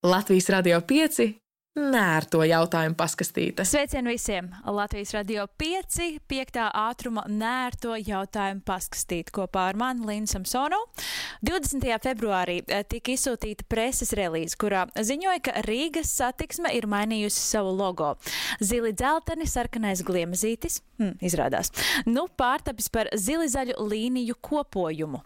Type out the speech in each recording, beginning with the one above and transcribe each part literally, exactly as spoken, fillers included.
Latvijas Radio pieci nērto jautājumu paskastīte. Sveicien visiem! Latvijas Radio pieci piektā ātruma nērto jautājumu paskastīte kopā ar mani Lindu Samsonu. divdesmitajā februārī tika izsūtīta preses relīze, kurā ziņoja, ka Rīgas satiksme ir mainījusi savu logo. Zili dzelteni, sarkanais gliemezītis, hm, izrādās, nu pārtapis par zili zaļu līniju kopojumu.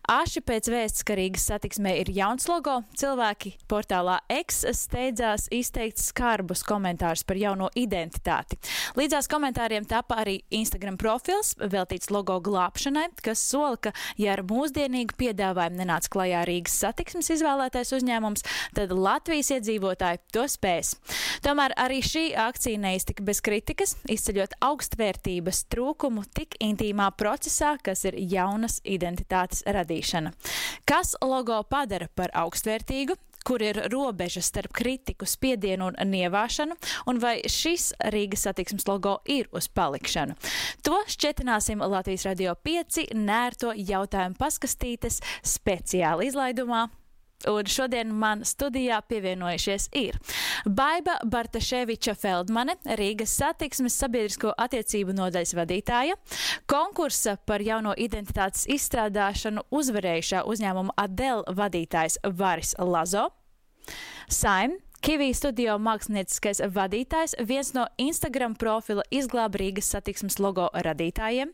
Aši pēc vēsts, ka Rīgas satiksmē ir jauns logo, cilvēki portālā X steidzās izteikt skarbus komentārus par jauno identitāti. Līdzās komentāriem tapa arī Instagram profils, veltīts logo glābšanai, kas sola, ka, ja ar mūsdienīgu piedāvājumu nenāc klajā Rīgas satiksmes izvēlētais uzņēmums, tad Latvijas iedzīvotāji to spēs. Tomēr arī šī akcija neiztika bez kritikas, izceļot augstvērtības trūkumu tik intīmā procesā, kas ir jaunas identitātes radīšana. Kas logo padara par augstvērtīgu? Kur ir robeža starp kritiku, spiedienu un nievāšanu, un vai šis Rīgas satiksmes logo ir uz palikšanu. To šķetināsim Latvijas Radio pieci nērto jautājumu paskastītes speciāli izlaidumā. Un šodien man studijā pievienojušies ir Baiba Bartaševiča Feldmane, Rīgas satiksmes sabiedrisko attiecību nodaļas vadītāja, konkursa par jauno identitātes izstrādāšanu uzvarējušā uzņēmuma Adel vadītājs Varis Lazo, Saim, Kivī studio mākslinieckais vadītājs, viens no Instagram profila Izglāb Rīgas satiksmes logo radītājiem,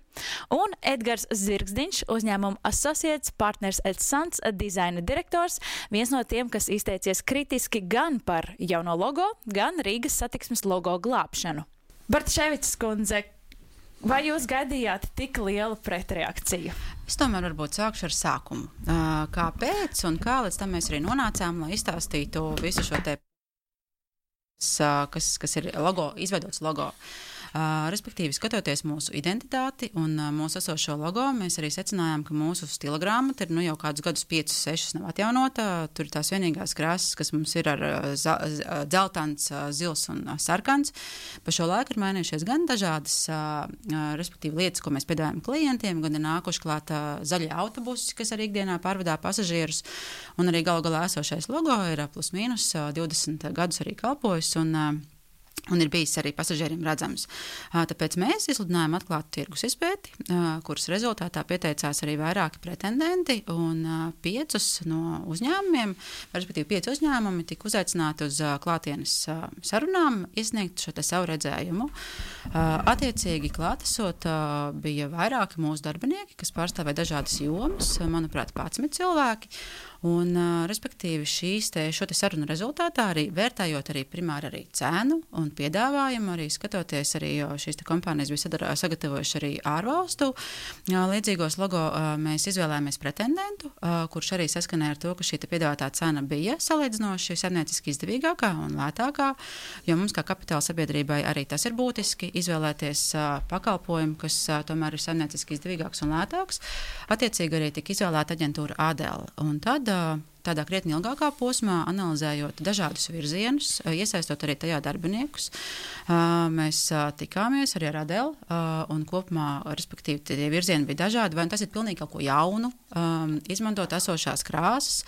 un Edgars Zirgzdiņš, uzņēmuma Associates Partners et Sons dizaina direktors, viens no tiem, kas izteicies kritiski gan par jauno logo, gan Rīgas satiksmes logo glābšanu. Bartaševičs kundze, vai jūs gaidījāt tik lielu pretreakciju? Es tomēr varbūt sākšu ar sākumu. Kāpēc un kā līdz tam mēs arī nonācām, lai izstāstītu visu šo te, kas, kas ir logo, izveidots logo. Uh, respektīvi, skatoties mūsu identitāti un uh, mūsu esošo logo, mēs arī secinājām, ka mūsu stila grāmata ir nu, jau kādus gadus piecus, sešus nav atjaunota. Tur ir tās vienīgās krāsas, kas mums ir ar uh, dzeltans, uh, zils un uh, sarkans. Pa šo laiku ir mainījušies gan dažādas, uh, uh, respektīvi, lietas, ko mēs piedāvājam klientiem, gan ir nākuši klāt uh, zaļie autobusi, kas arī ikdienā pārvadā pasažierus, un arī galu galā esošais logo ir uh, plus mīnus uh, divdesmit gadus arī kalpojis, un uh, un ir bijis arī pasažieriem redzams. Tāpēc mēs izsludinājām atklātu tirgus izpēti, kuras rezultātā pieteicās arī vairāki pretendenti, un piecus no uzņēmumiem, respektīvi pieci uzņēmumi tika uzaicināti uz klātienes sarunām, iesniegt šo te savu redzējumu. Attiecīgi klātesot bija vairāki mūsu darbinieki, kas pārstāvēja dažādas jomas, manuprāt, padsmit cilvēki. Un, respektīvi, šīs te, šo te sarunu rezultātā arī vērtējot arī primāri arī cēnu un piedāvājumu, arī skatoties arī, jo šīs te kompānijas bija sadarā, sagatavojuši arī ārvalstu līdzīgos logo, mēs izvēlējāmies pretendentu, kurš arī saskanēja ar to, ka šī te piedāvātā cena bija salīdzinoši saimnieciski izdevīgākā un lētākā, jo mums kā kapitāla sabiedrībai arī tas ir būtiski izvēlēties pakalpojumu, kas tomēr ir saimnieciski izdevīgāks un lētāks. Attiecīgi arī tika izvēlēta aģentūra Adel. Un tad tādā krietni ilgākā posmā, analizējot dažādus virzienus, iesaistot arī tajā darbiniekus, mēs tikāmies arī ar Adel, un kopumā, respektīvi, tie virzieni bija dažādi, vai tas ir pilnīgi kaut ko jaunu, izmantot esošās krāsas,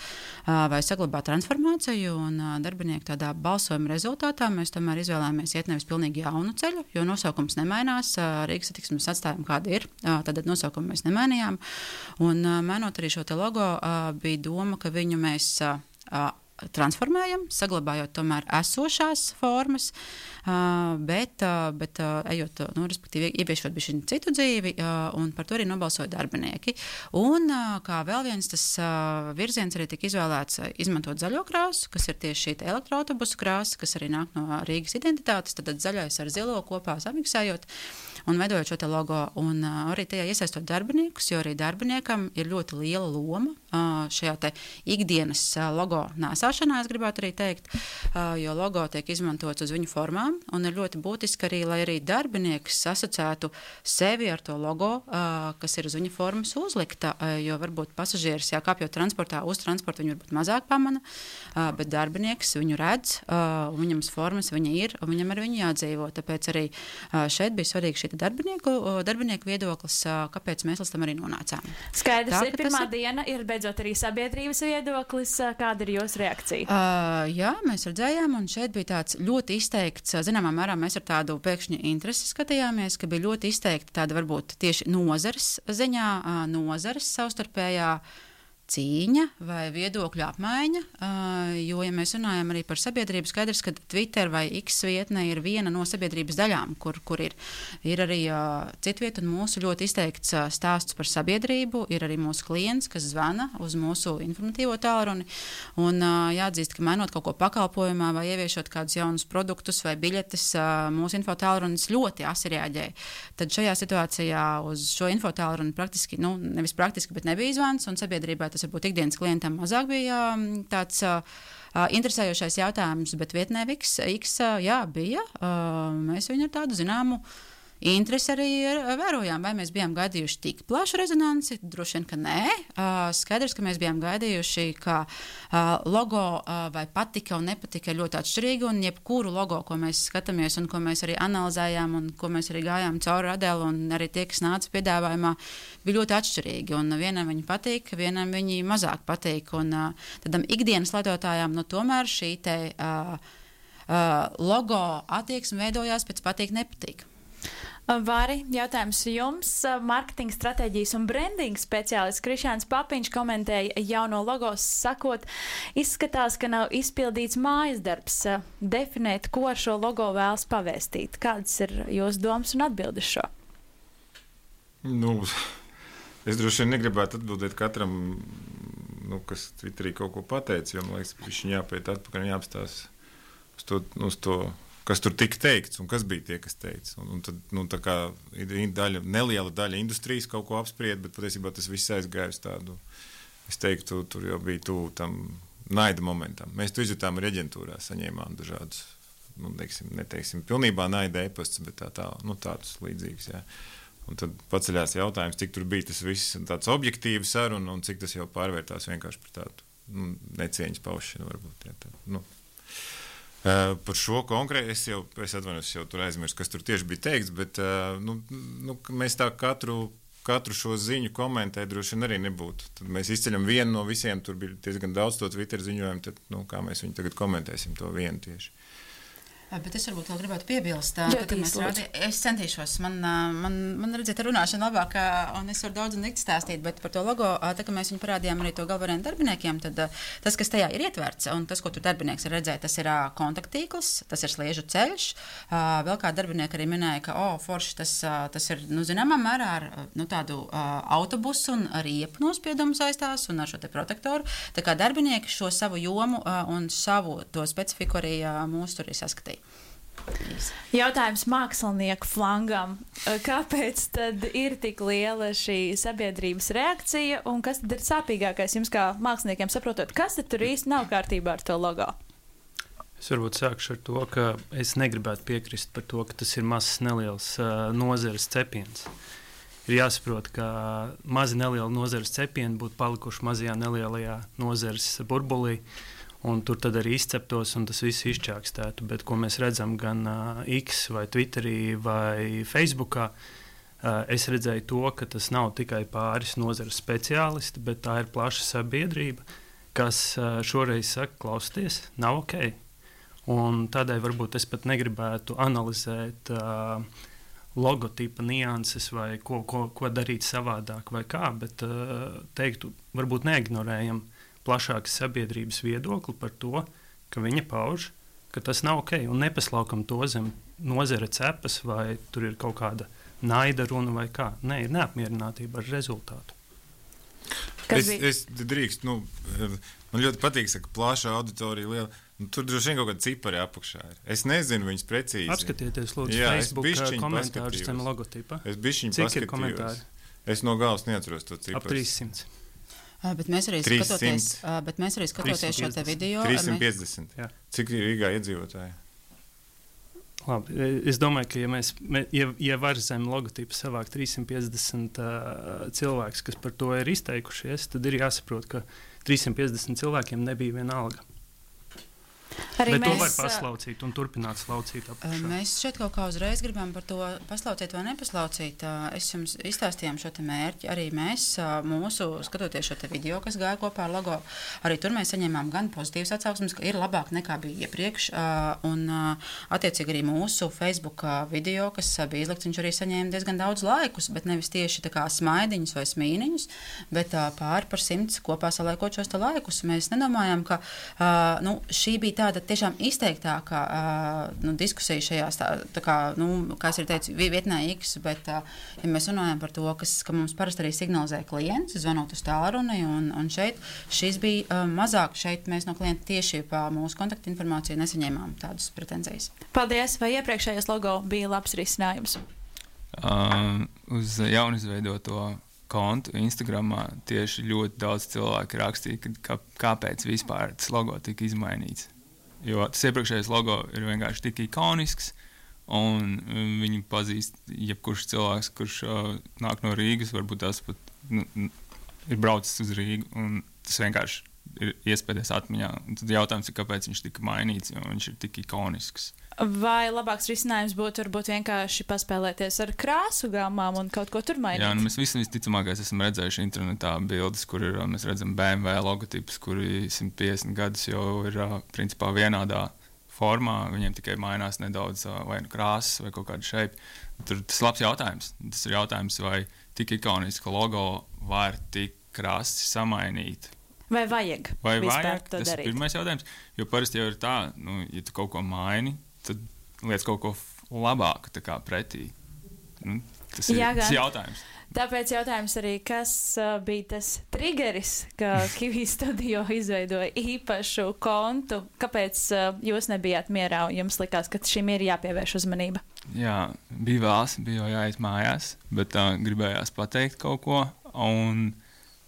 vai saglabāt transformāciju, un darbinieku tādā balsojuma rezultātā mēs tomēr izvēlējāmies iet nevis pilnīgi jaunu ceļu, jo nosaukums nemainās, Rīgas satiksmes atstājumi kādi ir, tad nosaukumu mēs nemainījām, un mainot arī šo te logo, bija doma, ka viņu mēs uh, transformējam, saglabājot tomēr esošās formas, uh, bet, uh, bet uh, ejot, nu, respektīvi, ieviešot bišķi citu dzīvi, uh, un par to arī nobalsoja darbinieki. Un uh, kā vēl viens tas uh, virziens arī tika izvēlēts uh, izmantot zaļo krāsu, kas ir tieši šī elektroautobusu krāsa, kas arī nāk no Rīgas identitātes, tad zaļais ar zilo kopā samiksējot un veidojot šo te logo, un uh, arī tajā iesaistot darbiniekus, jo arī darbiniekam ir ļoti liela loma uh, šajā te ikdienas uh, logo nēsāšanā, es gribētu arī teikt, uh, jo logo tiek izmantots uz viņu formām, un ir ļoti būtiski arī, lai arī darbinieks asociētu sevi ar to logo, uh, kas ir uz viņa formas uzlikta, uh, jo varbūt pasažieris, jā, kāpjot transportā, uz transportu viņu varbūt mazāk pamana, uh, bet darbinieks viņu redz, uh, viņam formas viņa ir, un viņam ar viņu jādzīvo, tāpēc arī uh, šeit bija svarīgi šī darbinieku, darbinieku viedoklis, kāpēc mēs līdz tam arī nonācām. Skaidrs, Tā, ir pirmā tas... diena, ir beidzot arī sabiedrības viedoklis. Kāda ir jūsu reakcija? reakcija? Uh, jā, mēs redzējām, un šeit bija tāds ļoti izteikts, zināmā mērā mēs ar tādu pēkšņi interesi skatījāmies, ka bija ļoti izteikti tāda varbūt tieši nozares ziņā, uh, nozares savstarpējā cīņa vai viedokļu apmaiņa, jo, ja mēs runājam arī par sabiedrību, skaidrs, ka Twitter vai X vietne ir viena no sabiedrības daļām, kur, kur ir, ir arī citvieta un mūsu ļoti izteikts stāsts par sabiedrību, ir arī mūsu klients, kas zvana uz mūsu informatīvo tālruni, un jāatzīst, ka mainot kaut ko pakalpojumā vai ieviešot kādus jaunus produktus vai biļetes, mūsu info tālrunis ļoti asi reaģēja. Tad šajā situācijā uz šo info tālruni praktiski, nu, nevis praktiski, bet nebija zvans, un sabiedrībā tas varbūt ikdienas klientam mazāk bija tāds uh, interesējošais jautājums, bet vietnē X, X jā, bija. Uh, mēs viņu ar tādu zināmu interesi arī vērojām, vai mēs bijām gaidījuši tik plašu rezonanci, droši vien, ka nē. Uh, skaidrs, ka mēs bijām gaidījuši, ka uh, logo uh, vai patika un nepatika ir ļoti atšķirīgi, un jebkuru logo, ko mēs skatāmies un ko mēs arī analizējām un ko mēs arī gājām cauri Adelu un arī tie, kas nāca piedāvājumā, bija ļoti atšķirīgi, un vienam viņi patīk, vienam viņi mazāk patīk, un uh, tādam ikdienas lietotājām, nu tomēr šī te uh, uh, logo attieksme veidojās pēc patīk, nepatīk. Vari, jautājums jums. Marketinga stratēģijas un brandinga speciālists Krišjāns Papiņš komentēja jauno logo, sakot, izskatās, ka nav izpildīts mājas darbs definēt, ko ar šo logo vēlas pavēstīt. Kādas ir jūsu domas un atbildes šo? Nu, es droši vien negribētu atbildēt katram, nu, kas Twitterī kaut ko pateica, jo, man liekas, viņš jāpēt atpakaļ un jāapstās uz to, uz to kas tur tika teikts un kas bija tie, kas teica. Un, un tad, nu, tā kā daļa, neliela daļa industrijas kaut ko apspried, bet patiesībā tas viss aizgāja uz tādu, es teiktu, tur jau bija tuvu tam naida momentam. Mēs to izjutām arī aģentūrā, saņēmām dažādus, nu, teiksim, neteiksim, pilnībā naida e-pasts, bet tā, tā, nu, tādus līdzīgus, jā. Un tad paceļās jautājums, cik tur bija tas viss tāds objektīvi saruna un cik tas jau pārvērtās vienkārši par tādu, nu, necieņas paušanu varbūt, jā, tā, nu. Uh, par šo konkrēti es jau, es atvainojos, jau tur aizmirsu, kas tur tieši bija teikts, bet uh, nu, nu, mēs tā katru, katru šo ziņu komentēt droši vien arī nebūtu. Tad mēs izceļam vienu no visiem, tur bija diezgan daudz to Twitter ziņojumu, tad, nu, kā mēs viņu tagad komentēsim to vienu tieši. Bet es varbūt vēl gribētu piebilst, ka mēs rādi, es centīšos, man, man, man redzēt runāšana labāk, un es varu daudz un dikti stāstīt, bet par to logo, tā kā mēs viņu parādījām arī to galvenajiem darbiniekiem, tad tas, kas tajā ir ietverts, un tas, ko tur darbinieks var redzēt, tas ir kontaktīkls, tas ir sliežu ceļš, vēl kā darbinieki arī minēja, ka, o, forši, tas, tas ir, nu, zināmā mērā ar, nu, tādu autobusu un ar riepu nospiedumu saistās un ar šo te protektoru, tā kā darbinieki šo savu jomu un savu to specifiku arī mūs tur ir saskatīja. Jautājums mākslinieku flangam. Kāpēc tad ir tik liela šī sabiedrības reakcija un kas tad ir sāpīgākais jums kā māksliniekiem saprotot, kas tad tur īsti nav kārtībā ar to logo? Es varbūt sākšu ar to, ka es negribētu piekrist par to, ka tas ir mazs neliels uh, nozares cepiens. Ir jāsaprot, ka mazi nelieli nozares cepieni būtu palikuši mazajā nelielajā nozares burbulī, un tur tad arī izceptos, un tas viss izčākstētu. Bet, ko mēs redzam gan uh, X vai Twitterī vai Facebookā, uh, es redzēju to, ka tas nav tikai pāris nozares speciālisti, bet tā ir plaša sabiedrība, kas uh, šoreiz saka, klausieties, nav ok. Un tādēļ varbūt es pat negribētu analizēt uh, logotipa nianses vai ko, ko, ko darīt savādāk vai kā, bet uh, teiktu, varbūt neignorējam plašākas sabiedrības viedokli par to, ka viņa pauž, ka tas nav ok, un nepaslaukam to zem nozara cepas, vai tur ir kaut kāda naida runa vai kā. Nē, ir neapmierinātība ar rezultātu. Es, es drīkst, nu, man ļoti patīk, saka, plašā auditorija liela, nu, tur droši vien kaut kāda cipari apakšā ir. Es nezinu viņus precīzi. Apskatieties, lūdzu, jā, Facebook komentārus zem logotipa. Es bišķiņu paskatījos. Cik ir komentāri? Es no galas neatceros to ciparu. Ap trīssimts. Bet mēs arī skatoties, bet mēs arī skatoties šo te video. trīssimt piecdesmit. Mēs... Cik ir Rīgā iedzīvotāji? Labi, es domāju, ka ja, mēs, ja, ja var zem logotipa savākt trīssimt piecdesmit uh, cilvēkus, kas par to ir izteikušies, tad ir jāsaprot, ka trīssimt piecdesmit cilvēkiem nebija viena alga. Arī Bet mēs, to var mēs, paslaucīt un turpināt slaucīt apakšā. Mēs šeit kaut kā uzreiz gribam par to paslaucīt vai nepaslaucīt. Es jums izstāstījām šo te mērķi. Arī mēs mūsu, skatoties šo te video, kas gāja kopā ar logo, arī tur mēs saņēmām gan pozitīvas atsauksmes, ka ir labāk nekā bija iepriekš. Un attiecīgi arī mūsu Facebook video, kas bija izlikts, viņš arī saņēma diezgan daudz laikus, bet nevis tieši tā kā smaidiņus vai smīniņus, bet pāri par simts kopā saliekot šos te laikus. Mēs nedomājam, ka nu, šī bija tāda tiešām izteiktākā uh, nu, diskusija šajās, tā, tā kā, nu, kā es ir teicu, vietnē X, bet, uh, ja mēs runājam par to, kas, ka mums parasti arī signalizē klients, zvanot uz tālruni, un, un šeit šis bija uh, mazāk, šeit mēs no klienta tieši pa mūsu kontaktinformāciju nesaņēmām tādas pretenzijas. Paldies, vai iepriekšējais logo bija labs risinājums? Uh, uz jaunizveidoto kontu Instagramā tieši ļoti daudz cilvēku rakstīja, ka, ka, kāpēc vispār tas logo tika izmainīts. Jo tas iepriekšējais logo ir vienkārši tik ikonisks, un viņu pazīst jebkurš cilvēks, kurš uh, nāk no Rīgas, varbūt tas pat nu, ir braucis uz Rīgu, un tas vienkārši ir iespējas atmiņā. Un tad jautājums ir, kāpēc viņš tika mainīts, jo viņš ir tik ikonisks. Vai labāks risinājums būtu varbūt vienkārši paspēlēties ar krāsu gammām un kaut ko tur mainīt? Jā, nu mēs visi visticamākais esam redzējuši internetā bildes, kur ir, mēs redzam B M W logotipus, kuri simt piecdesmit gadus jau ir principā vienādā formā, viņiem tikai mainās nedaudz vai nu krāsas vai kaut kāda šeipa. Tur tas ir labs jautājums. Tas ir jautājums, vai tik ikoniska logo var tik krasi samainīt. Vai vajag vai vispār vajag, to tas darīt? Ir pirmais jautājums, jo parasti jau ir tā, nu, ja tu kaut ko maini, tad liec kaut ko labāku tā kā pretī. Nu, tas ir Jā, tas gan. jautājums. Tāpēc jautājums arī, kas uh, bija tas triggeris, ka Kiwi Studio izveidoja īpašu kontu? Kāpēc uh, jūs nebijāt mierā un jums likās, ka šim ir jāpievērš uzmanība? Jā, bija vēls, bija jau jāiet mājās, bet uh, gribējās pateikt kaut ko, un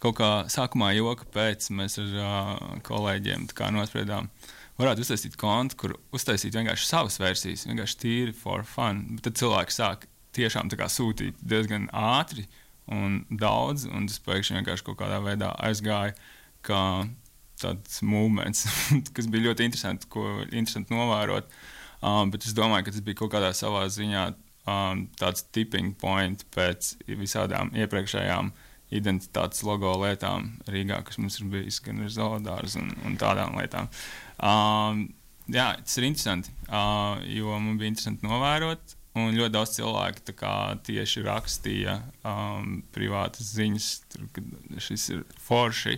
kaut kā sākumā joka pēc mēs ar uh, kolēģiem tā kā nospriedām, varētu uztaisīt kontu, kur uztaisīt vienkārši savas versijas, vienkārši tīri for fun, bet tad cilvēki sāk tiešām tā kā sūtīt diezgan ātri un daudz, un tas pēkšņi vienkārši kaut kādā veidā aizgāja kā tāds movements, kas bija ļoti interesanti, ko interesanti novērot, um, bet es domāju, ka tas bija kaut kādā savā ziņā um, tāds tipping point pēc visādām iepriekšējām identitātes logo lietām Rīgā, kas mums ir bijis gan ar zoodārzu un, un tādām lietām. Um, jā, tas ir interesanti, uh, jo man bija interesanti novērot, un ļoti daudz cilvēku tā kā tieši rakstīja um, privātas ziņas, tur, kad šis ir forši,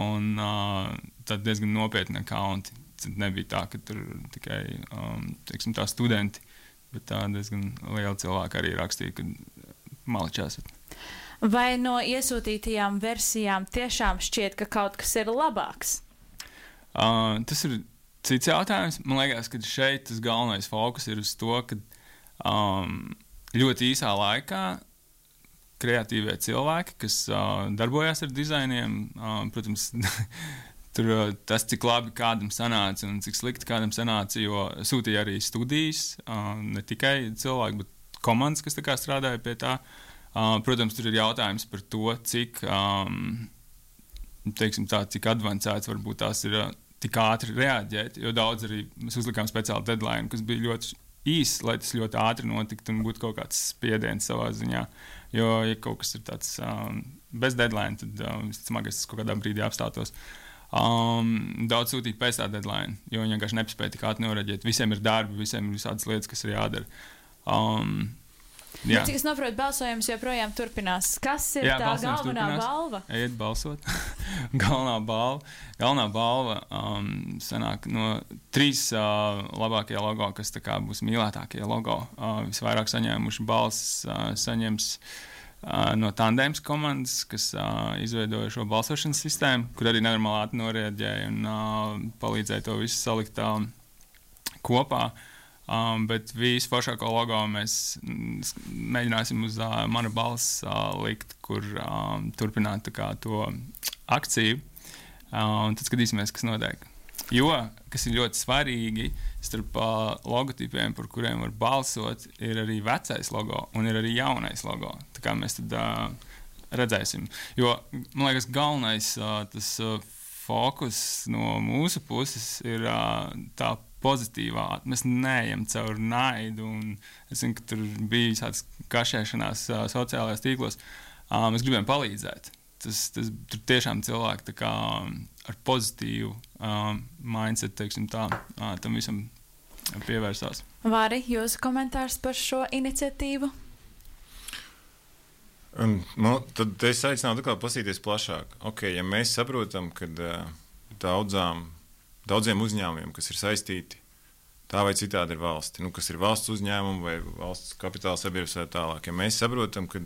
un uh, tad diezgan nopietni akaunti. Tad nebija tā, ka tur tikai um, teiksim, tā studenti, bet tā diezgan liela cilvēka arī rakstīja, ka maličās. Vai no iesūtītajām versijām tiešām šķiet, ka kaut kas ir labāks? Uh, tas ir cits jautājums. Man liekas, ka šeit tas galvenais fokus ir uz to, ka um, ļoti īsā laikā kreatīvie cilvēki, kas uh, darbojas ar dizainiem, uh, protams, tur uh, tas, cik labi kādam sanāca un cik slikti kādam sanāca, jo sūtīja arī studijas, uh, ne tikai cilvēki, bet komandas, kas tā kā strādāja pie tā. Uh, protams, tur ir jautājums par to, cik, um, teiksim tā, cik advancēts varbūt tās ir uh, tik ātri reaģēt, jo daudz arī mēs uzlikām speciālu deadline, kas bija ļoti īss, lai tas ļoti ātri notiktu un būtu kaut kāds spiediens savā ziņā. Jo, ja kaut kas ir tāds um, bez deadline, tad um, visticamākais tas kaut kādā brīdī apstātos. Um, daudz sūtīja pēc tā deadline, jo viņi vienkārši nespēja tik ātri noreaģēt. Visiem ir darbi, visiem ir visādas lietas, kas ir jādara. Um, Jā. Bet, cik es saprotu, balsojums joprojām turpinās. Kas ir Jā, tā galvenā turpinās. balva? Ejiet balsot. galvenā balva, galvenā balva um, sanāk no trīs uh, labākie logo, kas tā kā būs mīlētākie logo. Uh, visvairāk saņēmuši balsis uh, saņems uh, no Tandēms komandas, kas uh, izveidoja šo balsošanas sistēmu, kur arī nenormāli noreaģēja un uh, palīdzēja to visu salikt uh, kopā. Um, bet visu foršāko logo mēs mēģināsim uz uh, mana balss uh, likt, kur um, turpināt tā kā to akciju. Uh, un tad skatīsimies, kas notiek. Jo, kas ir ļoti svarīgi, starp uh, logotipiem, par kuriem var balsot, ir arī vecais logo un ir arī jaunais logo. Tā kā mēs tad uh, redzēsim. Jo, man liekas, galvenais uh, tas uh, fokus no mūsu puses ir uh, tā pozitīvā. Mēs neejam caur naidu, un es zinu, ka tur bija tāds kašēšanās uh, sociālajās tīklos. Uh, mēs gribējām palīdzēt. Tas, tas, tur tiešām cilvēki tā kā ar pozitīvu uh, mindset, teiksim tā, uh, tam visam pievērsās. Vāri, jūsu komentārs par šo iniciatīvu? Un, nu, tad es aicinātu atkal pasīties plašāk. Okay, ja mēs saprotam, ka uh, daudzām, daudziem uzņēmumiem, kas ir saistīti, tā vai citādi ir valsti, nu, kas ir valsts uzņēmumi vai valsts kapitāla sabiedrības vai tālāk, ja mēs saprotam, ka,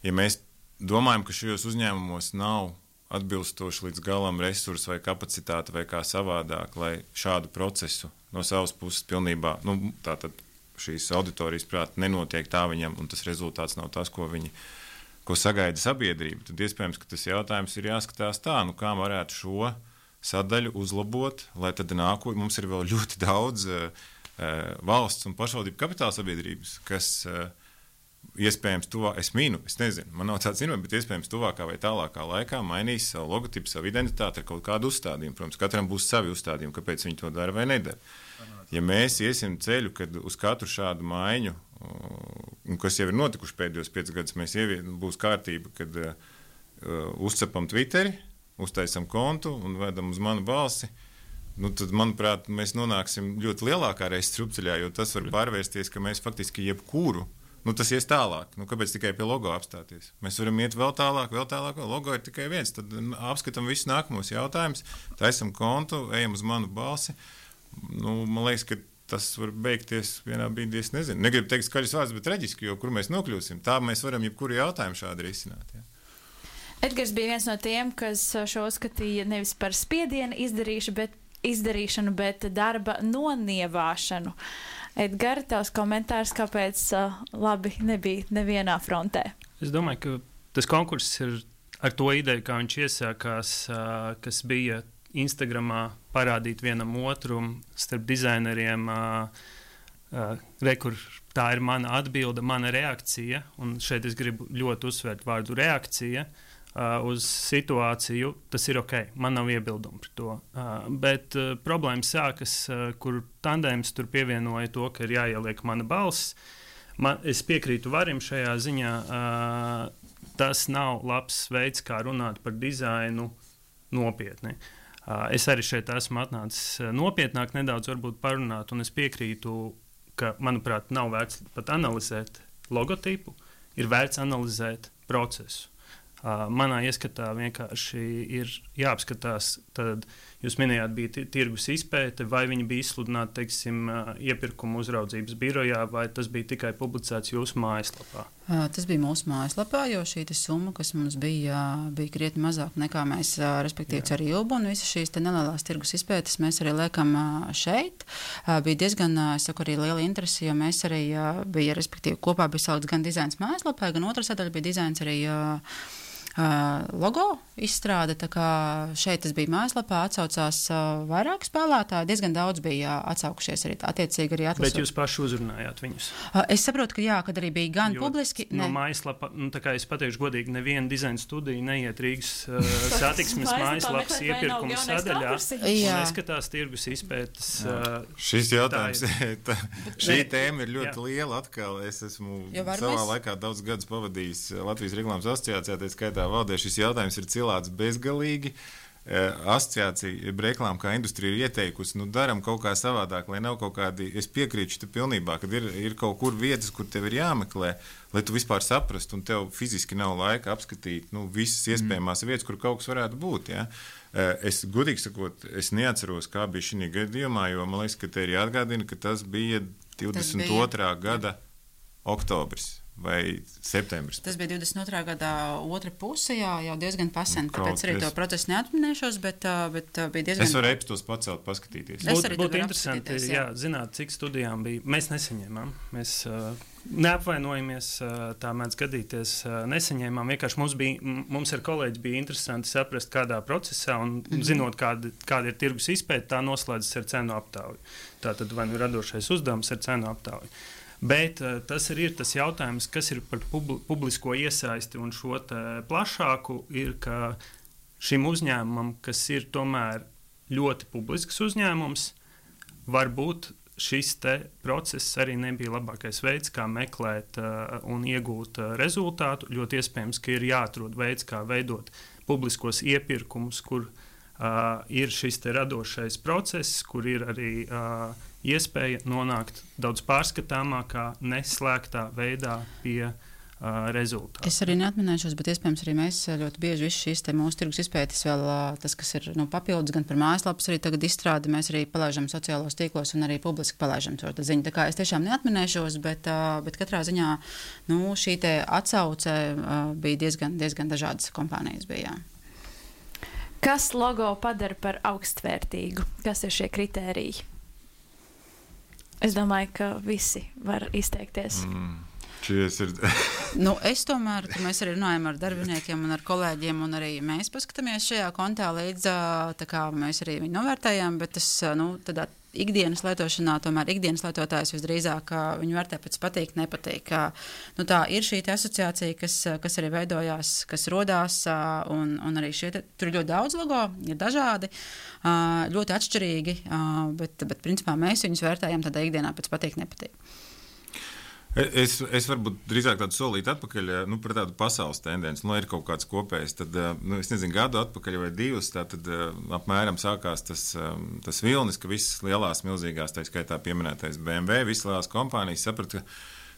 ja mēs domājam, ka šajos uzņēmumos nav atbilstoši līdz galam resursi vai kapacitāte vai kā savādāk, lai šādu procesu no savas puses pilnībā, nu, tātad šīs auditorijas prāt nenotiek tā viņam, un tas rezultāts nav tas, ko viņi, ko sagaida sabiedrība, tad iespējams, ka tas jautājums ir jāskatās tā, nu, kā varētu šo sadaļu uzlabot, lai tad nākotnē mums ir vēl ļoti daudz uh, valsts un pašvaldību kapitāla sabiedrības, kas uh, iespējams tuvā, es mīnu, es nezinu, man nav tāds zinājums, bet iespējams tuvākā vai tālākā laikā mainīs savu logotipu, savu identitāti ar kaut kādu uzstādījumu. Protams, katram būs savi uzstādījumi, kāpēc viņi to dara vai nedara. Ja mēs iesim ceļu, kad uz katru šādu maiņu, uh, kas jau ir notikuši pēdējos piecus gadus, mēs ievie, būs kārtība, kad uh, uzcepam Twitteri, uztaisam kontu un vedam uz manu balsi, nu, tad, manuprāt, mēs nonāksim ļoti lielākā reizes strupceļā, jo tas var pārvērsties, ka mēs faktiski jebkuru, nu, tas ies tālāk. Nu, kāpēc tikai pie logo apstāties? Mēs varam iet vēl tālāk, vēl tālāk, vēl logo ir tikai viens. Tad apskatām visus nākamos jautājumus, taisam kontu, ejam uz manu balsi. Nu, man liekas, ka tas var beigties vienā brīdī, es nezinu. Negribu teikt skaļus vārdus, bet traģiski, jo kur mēs nokļūsim, tā mēs varam jebkuru jautājumu šādi risināt. Ja. Edgars bija viens no tiem, kas šo uzskatīja nevis par spiedienu izdarīšu, bet, izdarīšanu, bet darba nonievāšanu. Edgar, tavs komentārs, kāpēc uh, labi nebija nevienā frontē? Es domāju, ka tas konkurss ir ar to ideju, kā viņš iesākās, uh, kas bija Instagramā parādīt vienam otru starp dizaineriem, uh, uh, re, kur tā ir mana atbilde, mana reakcija, un šeit es gribu ļoti uzsvērt vārdu reakcija, Uh, uz situāciju, tas ir ok, man nav iebildumu par to. Uh, bet uh, problēma sākas, uh, kur tandēms tur pievienoja to, ka ir jāieliek mana balss. Man, es piekrītu Varim šajā ziņā, uh, tas nav labs veids, kā runāt par dizainu nopietni. Uh, es arī šeit esmu atnācis nopietnāk nedaudz varbūt parunāt, un es piekrītu, ka, manuprāt, nav vērts pat analizēt logotipu, ir vērts analizēt procesu. Uh, manā ieskatā vienkārši ir jāapskatās, tad jūs minējāt, bija tirgus izpēte, vai viņi bija izsludināti, teiksim, uh, iepirkuma uzraudzības birojā, vai tas bija tikai publicēts jūsu mājaslapā? Uh, tas bija mūsu mājaslapā, jo šī summa, kas mums bija, bija krietni mazāk nekā mēs, uh, respektīvi, ar Ilbu, un visas šīs nelielās tirgus izpētes mēs arī liekam uh, šeit. Uh, bija diezgan, uh, es saku, arī liela interese, jo mēs arī uh, bija, respektīvi, kopā bija salikts gan dizains mājaslapā, gan otra sadaļa bija dizains arī uh, Uh, logo izstrāde, tā kā šeit tas bija mājaslapā, atsaucās uh, vairāk spēlētāji, diezgan daudz bija uh, atsaukušies arī attiecīgi arī atlasot. Bet jūs paši uzrunājāt viņus? Uh, es saprotu, ka jā, kad arī bija gan jo publiski. No mājaslapa, nu tā kā es pateikšu godīgi, neviena dizaina studija neiet Rīgas uh, satiksmes mājaslapas iepirkuma sadaļā un neskatās tirgus izpētes. Uh, Šis jautājums, tā, šī tēma ir ļoti jā. liela atkal. Es esmu savā mēs... laikā daudz gadus pavadījis Latvijas reklāmas asociācijā, tā skaitā valdē šis jautājums ir cilāts bezgalīgi. Asociācija reklāma kā industrija ir ieteikusi, nu daram kaut kā savādāk, lai nav kaut kādi, es piekrītu te pilnībā, kad ir, ir kaut kur vietas, kur tev ir jāmeklē, lai tu vispār saprastu, un tev fiziski nav laika apskatīt, nu, visas iespējamās mm. vietas, kur kaut kas varētu būt, ja. Es, godīgi sakot, es neatceros, kā bija šī gadījumā, jo man liekas, ka te ir jāatgādina, ka tas bija divdesmit otrā gada oktobris. Vai septembris? Tas bija divdesmit otrā gada otra puse, jā, jau diezgan pasen, tāpēc arī to procesu neatminēšos, bet, bet bija diezgan... Es varu e-pastos pacelt, paskatīties. Būtu būt interesanti, jā. jā, zināt, cik studijām bija. Mēs nesaņēmām, mēs uh, neapvainojamies, uh, tā mēdz gadīties, uh, nesaņēmām. Vienkārši mums, bija, mums ar kolēģi bija interesanti saprast, kādā procesā, un mm-hmm. zinot, kāda, kāda ir tirgus izpēte, tā noslēdzas ar cenu aptauju. Tātad vai nu radošais uzdevums ar cenu aptauju. Bet uh, tas arī ir tas jautājums, kas ir par publi publisko iesaisti un šo plašāku, ir, ka šim uzņēmumam, kas ir tomēr ļoti publisks uzņēmums, varbūt šis te process arī nebija labākais veids, kā meklēt uh, un iegūt uh, rezultātu. Ļoti iespējams, ka ir jāatrod veids, kā veidot publiskos iepirkumus, kur uh, ir šis te radošais process, kur ir arī uh, iespēja nonākt daudz pārskatāmākā, neslēgtā veidā pie uh, rezultātu. Es arī neatminēšos, bet iespējams arī mēs ļoti bieži visu šīs te mūsu tirgus izpētes vēl tas, kas ir nu, papildus gan par mājaslapas arī tagad izstrādi, mēs arī palaižam sociālos tīklos un arī publiski palaižam to ziņu. Tā kā es tiešām neatminēšos, bet, bet katrā ziņā nu, šī te atsauce bija diezgan, diezgan dažādas kompānijas bija. Kas logo padara par augstvērtīgu? Kas ir šie kritēriji? Es domāju, ka visi var izteikties. Mm. Ir... nu, es tomēr, mēs arī runājam ar darbiniekiem un ar kolēģiem, un arī mēs paskatāmies šajā kontā līdz, tā kā mēs arī viņu novērtējam, bet tas, nu, tādā ikdienas lietošanā, tomēr ikdienas lietotājs visdrīzāk viņu vērtē pēc patīk, nepatīk. Nu, tā ir šī asociācija, kas, kas arī veidojās, kas rodās, un, un arī šie, te, tur ir ļoti daudz logo, ir dažādi, ļoti atšķirīgi, bet, bet principā mēs viņus vērtējam tādā ikdienā pēc patīk, nepatīk. Es, es varbūt drīzāk tādu solīti atpakaļ, nu, par tādu pasaules tendenci. Nu, ir kaut kāds kopējs, tad, nu, es nezinu, gadu atpakaļ vai divus, tā tad apmēram sākās tas, tas vilnis, ka visas lielās, milzīgās, tā skaitā pieminētais B M W, visas lielās kompānijas saprata,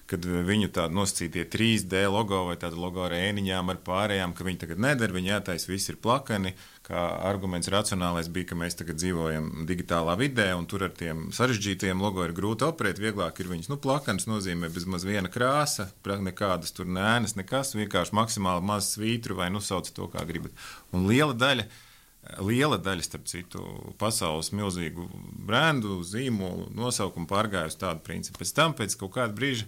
kad viņu tādu nosacītie trīs D logo vai tādu logo ar ēniņām, ar pārējām, ka viņi tagad nedara, viņi jātais, viss ir plakani, kā arguments racionālais bija, ka mēs tagad dzīvojam digitālā vidē, un tur ar tiem sarežģītiem logo ir grūti operēt, vieglāk ir viņus, nu, plakanis nozīmē bezmaz viena krāsa, nekādas tur nēnas, nekas, vienkārši maksimāli maz svītru vai, nu, sauc to, kā gribat. Un liela daļa, liela daļa, starp citu, pasaules milzīgu brendu, zīmolu, nosaukumu pārgāja uz tādu principu. Pēc tam, pēc kaut kāda brīža,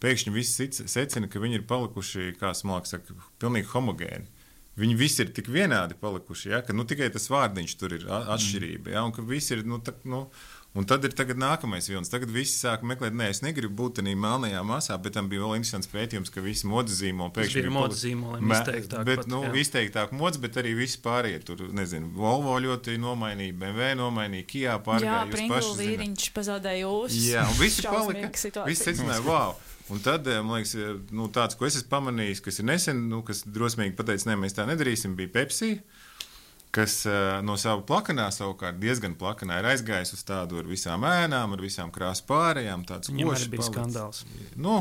pēkšņi visi secina, ka viņi ir palikuši, kā Smalks saka, pilnīgi homogēni. Viņi visi ir tik vienādi palikuši, ja, ka nu, tikai tas vārdiņš tur ir atšķirība. Ja, un, ka visi ir, nu, tā, nu, un tad ir tagad nākamais vilnis. Tagad visi sāk meklēt, nē, es negribu būt tādā melnajā masā, bet tam bija vēl interesants pētījums, ka visi modes zīmoli pēkšņi bija modes zīmoliem izteiktāk. Bet, pat, nu, izteiktāk modes, bet arī visi pārējie tur, nezinu, Volvo ļoti nomainīja, B M W nomainīja, Kia pārgāja. Jā, Pringlu vīriņš pazaudēja ūs. Jā, un visi palika, visi secināja, wow. Un tad, man liekas, nu, tāds, ko es esmu pamanījis, kas ir nesen, nu, kas drosmīgi pateica, ne, mēs tā nedarīsim, bija Pepsi, kas no sava plakanā savukārt diezgan plakanā ir aizgājis uz tādu ar visām ēnām, ar visām krāsu pārējām. Viņam arī bija skandāls. Nu,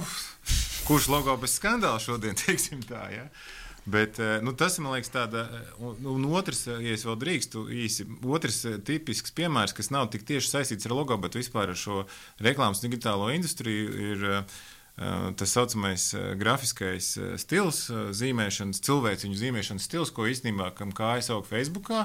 kurš logo bez skandāla šodien, teiksim tā, ja? Bet, nu, tas, man liekas, tāda, un, un otrs, ja es vēl drīkstu īsi, otrs tipisks piemērs, kas nav tik tieši saistīts ar logo, bet vispār ar šo reklāmas digitālo industriju, ir tas saucamais grafiskais stils, zīmēšanas, cilvēciņu zīmēšanas stils, ko īstenībā, kam kājas aug Facebookā,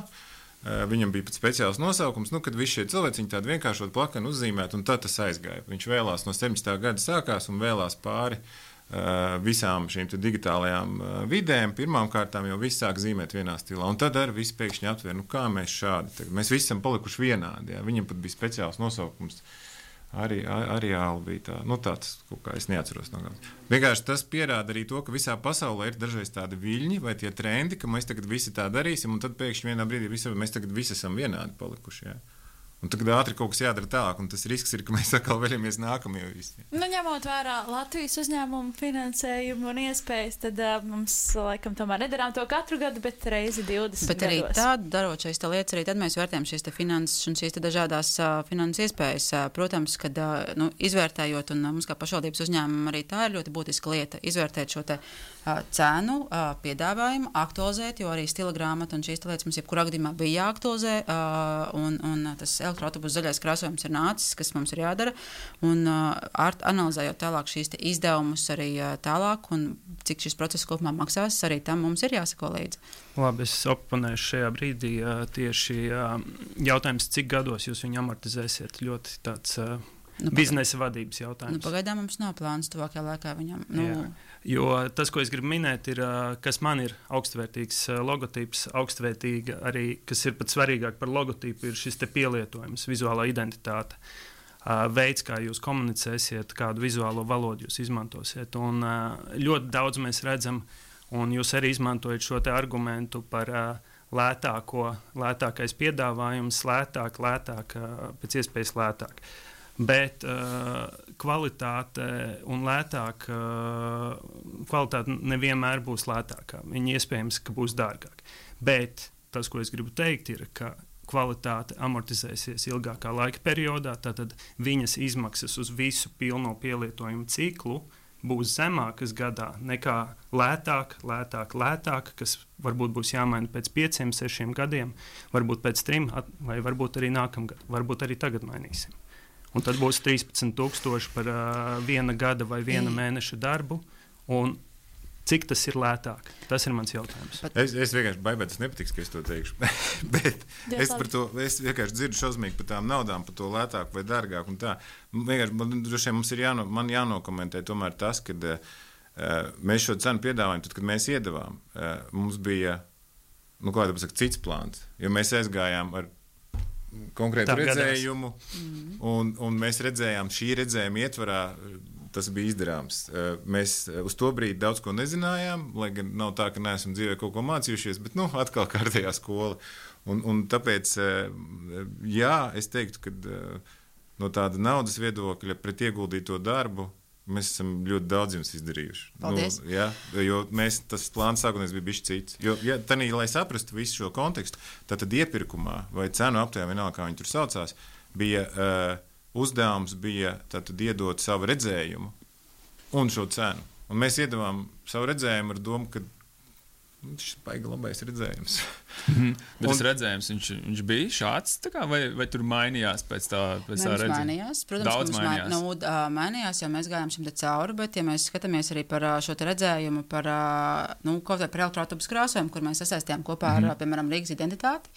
viņam bija pat speciāls nosaukums, nu, kad visi šie cilvēciņi tādu vienkāršot plakanu uzzīmēt, un tad tas aizgāja. Viņš vēlās no septiņdesmitā gada sākās un vēlās pāri visām šīm digitālajām vidēm. Pirmām kārtām jau viss sāk zīmēt vienā stilā, un tad arī viss pēkšņi atver, nu, kā mēs šādi, tagad, mēs visi esam palikuši vienādi, jā. Viņam pat bija speciāls nosaukums. Arī, arī āli bija tā, nu tāds, kaut kā es neatceros no gada. Vienkārši tas pierāda arī to, ka visā pasaulē ir dažreiz tādi viļņi vai tie trendi, ka mēs tagad visi tā darīsim, un tad pēkšņi vienā brīdī visi, mēs tagad visi esam vienādi palikuši, jā. Un tagad ātri kaut kas jādara tālāk, un tas risks ir, ka mēs atkal vēlamies nākamajā visi. Nu, ņemot vērā Latvijas uzņēmumu finansējumu un iespējas, tad uh, mums, laikam, tomēr nedarām to katru gadu, bet reizi divdesmit bet arī gados. Tādu darot šīs lietas, arī tad mēs vērtējam šīs finanses un šīs dažādās uh, finanses iespējas. Uh, protams, kad uh, nu, izvērtējot, un uh, mums kā pašvaldības uzņēmumam arī tā ir ļoti būtiska lieta, izvērtēt šo te uh, cenu, uh, piedāvājumu, aktualizēt, jo arī stila grāmata un šīs lietas mums jebkurā gadījumā bija jāaktualizē, uh, un, un tas elektroautobus zaļais krāsojums ir nācis, kas mums ir jādara, un uh, analizējot tālāk šīs te izdevumus arī uh, tālāk, un cik šis process kopumā maksās, arī tam mums ir jāsako līdzi. Labi, es oponēšu šajā brīdī uh, tieši uh, jautājums, cik gados jūs viņu amortizēsiet, ļoti tāds uh, nu, biznesa vadības jautājums. Nu, pagaidām mums nav plāns tuvākajā laikā viņam. Nu, Jā. Jo tas, ko es gribu minēt, ir, kas man ir augstvērtīgs logotips, augstvērtīga arī, kas ir pat svarīgāk par logotipu, ir šis te pielietojums, vizuālā identitāte, veids, kā jūs komunicēsiet, kādu vizuālo valodu jūs izmantosiet. Un ļoti daudz mēs redzam, un jūs arī izmantojat šo te argumentu par lētāko, lētākais piedāvājums, lētāk, lētāk, pēc iespējas lētāk. Bet uh, kvalitāte un lētāk, uh, kvalitāte nevienmēr būs lētākā. Viņa iespējams, ka būs dārgāk. Bet tas, ko es gribu teikt, ir, ka kvalitāte amortizēsies ilgākā laika periodā, tātad viņas izmaksas uz visu pilno pielietojumu ciklu būs zemākas gadā nekā lētāk, lētāk, lētāk, kas varbūt būs jāmaina pēc pieciem, sešiem gadiem, varbūt pēc trim, vai varbūt arī nākamgad, varbūt arī tagad mainīsim. Un tad būs trīspadsmit tūkstoši par uh, viena gada vai viena mēneša darbu, un cik tas ir lētāk? Tas ir mans jautājums. Es, es vienkārši baidos, tas nepatiks, ka es to teikšu. Bet es, par to, es vienkārši dzirdu šausmīgi par tām naudām, par to lētāk vai dārgāk. Vienkārši man, droši vien mums ir jāno, man jānokomentē tomēr tas, ka uh, mēs šo cenu piedāvājam, tad, kad mēs iedavām, uh, mums bija nu, kā pasaka, cits plāns. Jo mēs aizgājām ar konkrētu Tā redzējumu, mm. un, un mēs redzējām šī redzējuma ietvarā. Tas bija izdarāms. Mēs uz to brīdi daudz ko nezinājām, lai gan nav tā, ka neesam dzīvē kaut ko mācījušies, bet, nu, atkal kārtējā skola. Un, un tāpēc, jā, es teiktu, ka no tāda naudas viedokļa pret ieguldīto darbu mēs esam ļoti daudz jums izdarījuši. Paldies. Nu, jā, jo mēs, tas plāns sākotnēs bija bišķi cits. Jo, ja, tanī, lai saprastu visu šo kontekstu, tad iepirkumā vai cenu aptējā, vienalga, kā viņi tur saucās, bija... Uh, uzdevums bija tātad iedot savu redzējumu un šo cenu. Un mēs iedavām savu redzējumu ar domu, ka šis ir baigi labais redzējums. Mm-hmm. Bet tas redzējums, viņš, viņš bija šāds, tā kā, vai, vai tur mainījās pēc tā, pēc tā redzējuma? Mainījās. Protams, Daudz ka mainījās. Nu, mainījās, jo mēs gājām šim te cauri, bet ja mēs skatāmies arī par šo te redzējumu, par, nu, kaut vai par elektroautobus krāsojumu, kur mēs sasaistījām kopā ar, mm-hmm. piemēram, Rīgas identitāti,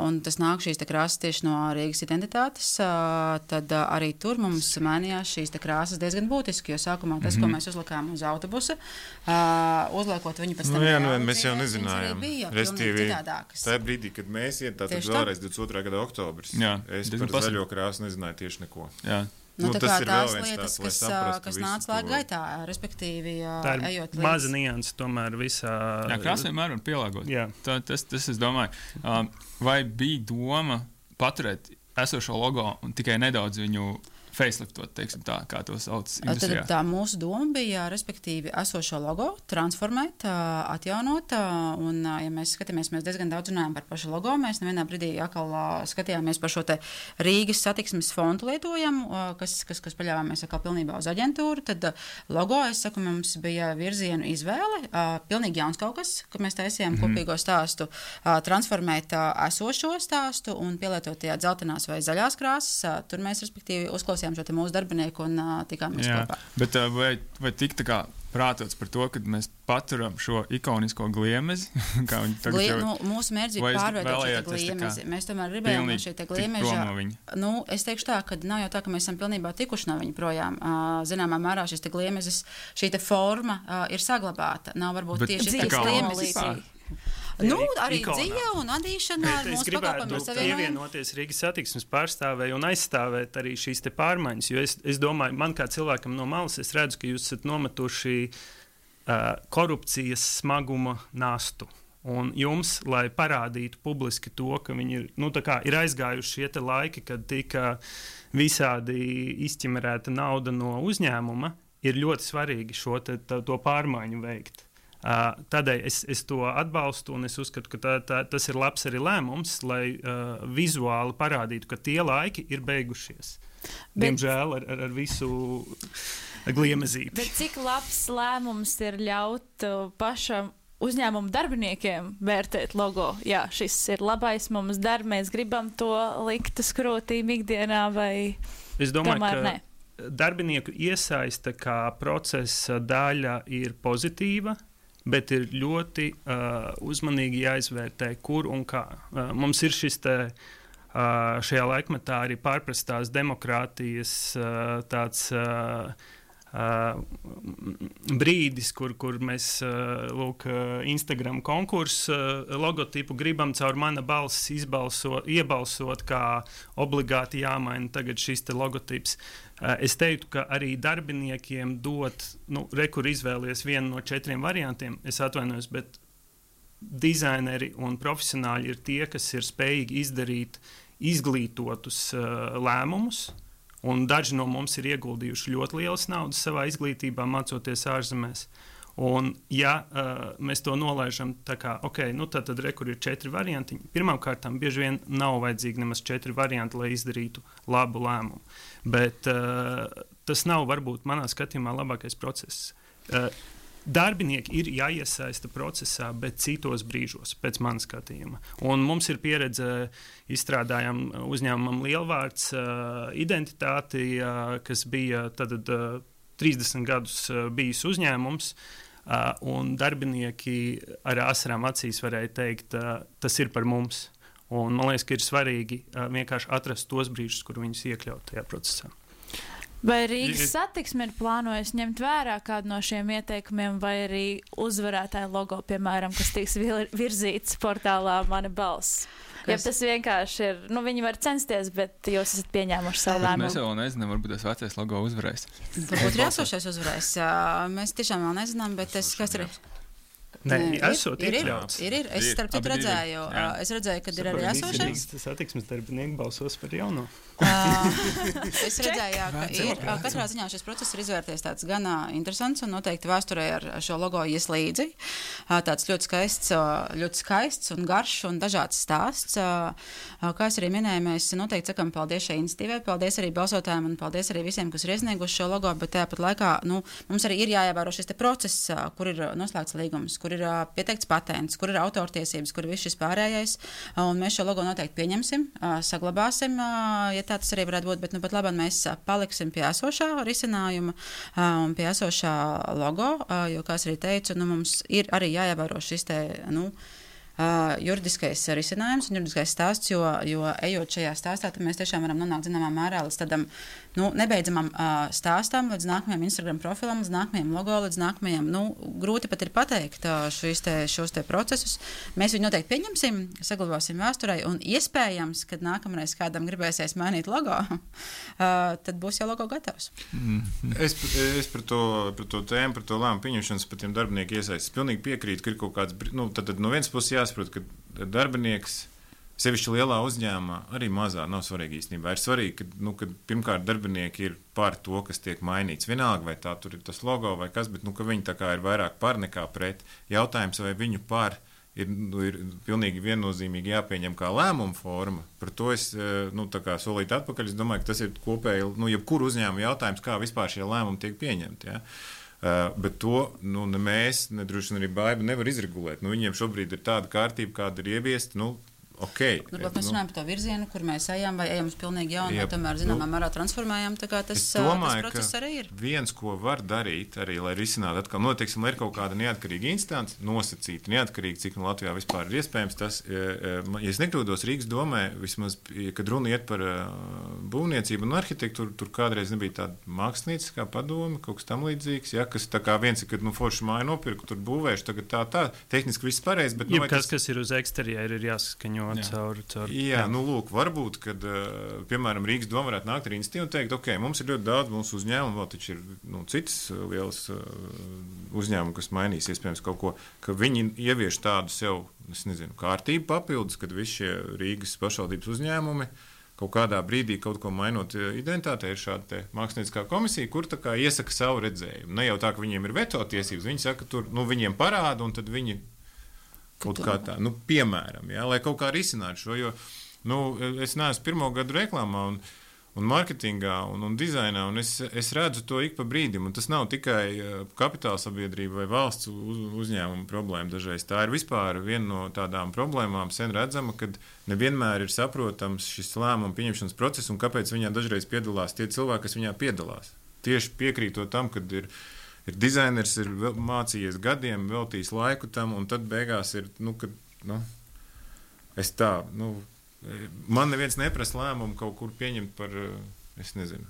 un tas nāk šīs te krāsas tieši no Rīgas identitātes, tad arī tur mums mainījās šīs te krāsas diezgan būtiski, jo sākumā tas, mm-hmm. ko mēs uzlikām uz autobusa, uzliekot viņu pēc tam... Nu, jā, nu, mēs jau nezinājām. Restīvi, citādākas. Tā brīdī, kad mēs iet tātad vēlreiz divdesmit otrā gada oktobris, jā, es par pasaka. Zaļo krāsu nezināju tieši neko. Jā. Nu, nu, tā tas kā ir tās vēl viens lietas, tāds, kas, kas nāca laika gaitā, respektīvi, tā ir ejot līdz... maza nianse tomēr visā... Jā, krāsa vienmēr var pielāgot. Jā. Tā, tas, tas es domāju. Um, vai bija doma paturēt esošo logo un tikai nedaudz viņu faceliftot, teiksim tā, kā to sauc industrijā? Tad tā mūsu doma bija, respektīvi, esošo logo transformēt, atjaunot, un, ja mēs skatāmies, mēs diezgan daudz runājam par pašu logo, mēs nevienā brīdī atkal skatījāmies par šo te Rīgas satiksmes fontu lietojam, kas, kas, kas paļāvāmies atkal pilnībā uz aģentūru, tad logo, es saku, mums bija virzienu izvēle, pilnīgi jauns kaut kas, kad mēs taisījām mm-hmm. kopīgo stāstu, transformēt esošo stāstu un pielietot tajā dzeltenās vai zaļās krāsas, tur mēs, respektīvi, uzklausījām šo te mūsu darbinieku un uh, tikāmies Jā, kopā. Bet uh, vai, vai tik tā kā prātots par to, ka mēs paturam šo ikonisko gliemezi? Kā viņi tagad Glie, jau... Nu, mūsu mērķi ir pārveidot šo te gliemezi. Mēs tomēr gribējām no šī te gliemeža. Nu, es teikšu tā, ka nav jau tā, ka mēs esam pilnībā tikuši no viņa projām. Uh, zināmā mērā šis te gliemezis, šī te forma uh, ir saglabāta. Nav varbūt bet tieši šis gliemezis. Nu, arī dzīve un adīšana ar mūsu pakalpojumu ar saviem. Pievienoties Rīgas satiksmes pārstāvēji un aizstāvēt arī šīs te pārmaiņas, jo es, es domāju, man kā cilvēkam no malas, es redzu, ka jūs esat nometuši uh, korupcijas smaguma nastu. Un jums, lai parādītu publiski to, ka viņi ir, nu, tā kā ir aizgājuši šie te laiki, kad tika visādi izķemerēta nauda no uzņēmuma, ir ļoti svarīgi šo te, tā, to pārmaiņu veikt. Uh, tādēļ es, es to atbalstu un es uzskatu, ka tā, tā, tas ir labs arī lēmums, lai uh, vizuāli parādītu, ka tie laiki ir beigušies. Bet, diemžēl ar, ar, ar visu gliemezīti. Bet cik labs lēmums ir ļaut uh, pašam uzņēmumu darbiniekiem vērtēt logo? Jā, šis ir labais mums dar, mēs gribam to likt uz krūtīm ikdienā vai es domāju, tomēr ka nē? Darbinieku iesaista kā procesa daļa ir pozitīva, bet ir ļoti uh, uzmanīgi jāizvērtē, kur un kā. Uh, mums ir šis te, uh, šajā laikmetā arī pārprastās demokrātijas uh, tāds uh, uh, brīdis, kur, kur mēs uh, lūk, uh, Instagram konkursu uh, logotipu gribam caur mana balss izbalsot, iebalsot, kā obligāti jāmaina tagad šis te logotips. Es teiktu, ka arī darbiniekiem dot, nu, rekur izvēlies vienu no četriem variantiem, es atvainojos, bet dizaineri un profesionāļi ir tie, kas ir spējīgi izdarīt izglītotus uh, lēmumus. Un daži no mums ir ieguldījuši ļoti lielas naudas savā izglītībā, mācoties ārzemēs. Un, ja uh, mēs to nolaižam tā kā, ok, nu tad, tad re, kur ir četri varianti, pirmkārt, bieži vien nav vajadzīgi nemaz četri varianti, lai izdarītu labu lēmumu. Bet uh, tas nav varbūt manā skatījumā labākais process. Uh, Darbinieki ir jāiesaista procesā, bet citos brīžos, pēc manas skatījuma. Un mums ir pieredze, izstrādājam uzņēmumam Lielvārds uh, identitāti, uh, kas bija tad uh, trīsdesmit gadus uh, bijis uzņēmums, uh, un darbinieki ar asarām acīs varēja teikt, uh, tas ir par mums. Un man liekas, ka ir svarīgi uh, vienkārši atrast tos brīžus, kur viņus iekļaut tajā procesā. Vai Rīgas satiksme ir plānojusi ņemt vērā kādu no šiem ieteikumiem, vai arī uzvarētāja logo, piemēram, kas tiks virzīts portālā Mana balss? Ja tas vienkārši ir, nu viņi var censties, bet jūs esat pieņēmuši savu lēmumu. Mēs vēl nezinām, varbūt tas vecais logo uzvarēs. Varbūt ir esošais uzvarēs. Mēs tiešām vēl nezinām, bet es, kas ir... Nē, esot ir, iekļauts. Ir, ir, ir. Es starp citu redzēju, es redzēju, kad ir arī esošais. Tas satiksmes darbinieki balsos par jauno. Es redzēju, jā, ka ir. Katrā ziņā šis process ir izvērties tāds gan interesants un noteikti vēsturē ar šo logo ies līdzi. Tāds ļoti skaists, ļoti skaists un garš un dažāds stāsts. Kā es arī minēju, mēs noteikti sakam paldies šai iniciatīvai, paldies arī balsotājiem un paldies arī visiem, kas ir iesnieguši šo logo, bet tāpat laikā, nu, mums arī ir jāievēro šis te process, kur ir noslēgts līgums, kur ir uh, pieteikts patents, kur ir autortiesības, kur ir viss šis pārējais, uh, un mēs šo logo noteikti pieņemsim, uh, saglabāsim, uh, ja tā tas arī varētu būt, bet nu pat labāk mēs uh, paliksim pie esošā risinājuma uh, un pie esošā logo, uh, jo, kā es arī teicu, nu, mums ir arī jāievēro šis te, nu, Uh, juridiskais risinājums un juridiskais stāsts, jo, jo ejot šajā stāstā, tad mēs tiešām varam nonākt zināmā mērā līdz tādam nu, nebeidzamam uh, stāstam, līdz nākamajam Instagram profilam, līdz nākamajam logo, līdz nākamajam, nu, grūti pat ir pateikt uh, šos te, šos te procesus. Mēs viņu noteikti pieņemsim, saglabāsim vēsturei un iespējams, kad nākamreiz kādam gribēsies mainīt logo, uh, tad būs jau logo gatavs. Mm. Es, es par to, par to tēmu, par to lēmumu pieņemšanas, par tiem darbinieku iesaistību. Es pilnīgi piekrītu, ka ir kaut kāds, nu, tad, tad no vienas puses jā, saprot, ka darbinieks, sevišķi lielā uzņēmumā, arī mazā nav svarīgi īstenībā. Ir svarīgi, ka, nu, ka pirmkārt darbinieki ir par to, kas tiek mainīts. Vienalga, vai tā tur ir tas logo vai kas, bet nu, ka viņi tā kā ir vairāk par nekā pret. Jautājums, vai viņu par ir, nu, ir pilnīgi viennozīmīgi jāpieņem kā lēmuma forma. Par to es nu, tā kā solīt atpakaļ. Es domāju, ka tas ir kopēji, nu, jebkuru uzņēmumu jautājums, kā vispār šie lēmumi tiek pieņemti. Ja? Uh, bet to nu, ne mēs, ne droši vien arī Baiba nevar izregulēt. Nu, viņiem šobrīd ir tāda kārtība, kāda ir ieviesta. Nu, Okay, Varbūt mēs runājam par to virzienu, kur mēs ejam, vai ejam uz pilnīgi jaunu, vai tomēr zināmā nu, mērā transformējam. Tā kā tas, domāju, tas process arī ir. Viens, ko var darīt, arī, lai risinātu atkal, noteiksim, lai ir kaut kāda neatkarīga instance, nosacīta, neatkarīga, cik no Latvijā vispār ir iespējams. Tas, ja es nekļūdos Rīgas domē, vismaz, kad runa iet par būvniecību un arhitektūru, tur kādreiz nebija tāda mākslinieckā padome, kaut kas tam līdzīgs, ja, kas tā kā viens ir, kad nu, forši māju nopirku, tur būvēšu, tagad tā, tā, tehniski viss pareizi, bet... Nu, kas, tas... kas ir uz eksterjēra, ir jāsaskaņo. Jā, caur, caur, jā, jā, nu lūk, varbūt, kad, uh, piemēram, Rīgas doma varētu nākt ar iniciatīvu un teikt, ok, mums ir ļoti daudz mūsu uzņēmumu, vēl taču ir nu, citas lielas uh, uzņēmumu, kas mainīs iespējams kaut ko, ka viņi ievieš tādu sev, es nezinu, kārtību papildus, kad visi šie Rīgas pašvaldības uzņēmumi kaut kādā brīdī kaut ko mainot identitātē, ir šāda mākslinieckā komisija, kur tā kā iesaka savu redzējumu. Ne jau tā, ka viņiem ir veto tiesības, viņi saka, tur, nu, viņiem parāda un tad viņi kaut kā tā, nu, piemēram, jā, lai kaut kā risinātu šo, jo, nu, es neesmu pirmo gadu reklāmā un, un marketingā un, un dizainā, un es, es redzu to ik pa brīdim, un tas nav tikai kapitāla sabiedrība vai valsts uz, uzņēmuma problēma dažreiz. Tā ir vispār viena no tādām problēmām sen redzama, kad nevienmēr ir saprotams šis lēmumu pieņemšanas process, un kāpēc viņā dažreiz piedalās tie cilvēki, kas viņā piedalās. Tieši piekrītot tam, kad ir Ir dizainers, ir mācījies gadiem, veltījis laiku tam, un tad beigās ir, nu, kad, nu, es tā, nu, man neviens neprasa lēmumu kaut kur pieņemt par, es nezinu,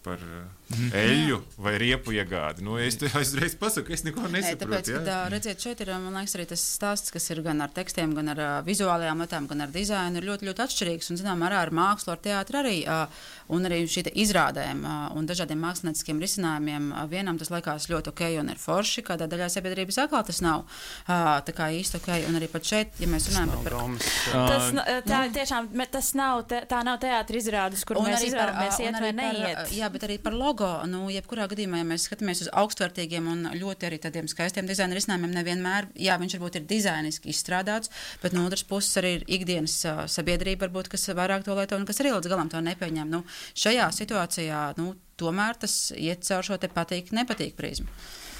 par mm. eļļu vai riepu iegādi. Nu, es uzreiz pasaku, es neko nesaprotu. Nē, tāpēc, ja? kad, redziet, šeit ir, man liekas, arī tas stāsts, kas ir gan ar tekstiem, gan ar uh, vizuālajām lietām, gan ar dizainu, ir ļoti, ļoti atšķirīgs. Un, zinām, ar, ar mākslu, ar teātru arī, uh, un arī šī izrādēm uh, un dažādiem mākslinieciskiem risinājumiem. Uh, vienam tas likās ļoti ok un ir forši, kādā daļā sabiedrības atkal tas nav uh, tā kā īsti ok. Un arī pat šeit, ja mēs runājam par... par tas, tā, tiešām, tas nav, te, tā nav teātra izrādes, kur un mēs izvēlamies iet vai neiet. Jā, bet arī par logo. Nu, jebkurā gadījumā, ja mēs skatāmies uz augstvērtīgiem un ļoti arī tādiem skaistiem dizaina risinājumiem, nevienmēr, jā, viņš varbūt ir dizainiski izstrādāts, bet no otras puses arī ir ikdienas uh, sabiedrība, varbūt, kas vairāk to lieto un kas arī līdz galam to nepieņem. Nu, šajā situācijā, nu, tomēr tas iet caur šo te patīk, nepatīk prizmu.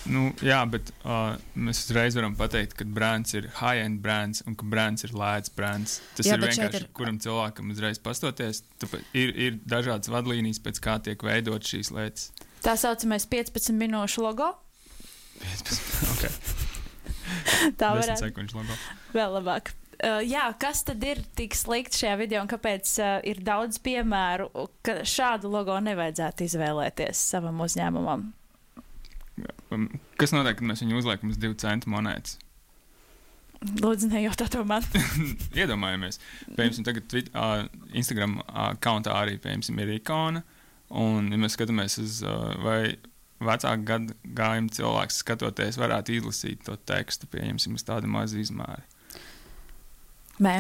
Nu, jā, bet uh, mēs uzreiz varam pateikt, ka brands ir high-end brands un ka brands ir lēts brands. Tas jā, ir vienkārši, ir... kuram cilvēkam uzreiz pastoties. Ir, ir dažādas vadlīnijas, pēc kā tiek veidot šīs lietas. Tā saucamais piecpadsmit minūšu logo. piecpadsmit, ok. Tā varētu. desmit sekundžu logo. Vēl labāk. Uh, jā, kas tad ir tik slikti šajā video un kāpēc uh, ir daudz piemēru, ka šādu logo nevajadzētu izvēlēties savam uzņēmumam? Kas notiek, kad mēs viņu uzliekam uz divu centu monētas? Lūdzu, nejautā to man. Iedomājamies. Piemēram, tagad Twitter, uh, Instagram accountā arī, piemēram, ir ikona. Un, ja mēs skatāmies uz, uh, vai vecāku gadu gājumu cilvēks skatoties, varētu izlasīt to tekstu, pieņemsim, uz tādu mazu izmēri. Nē.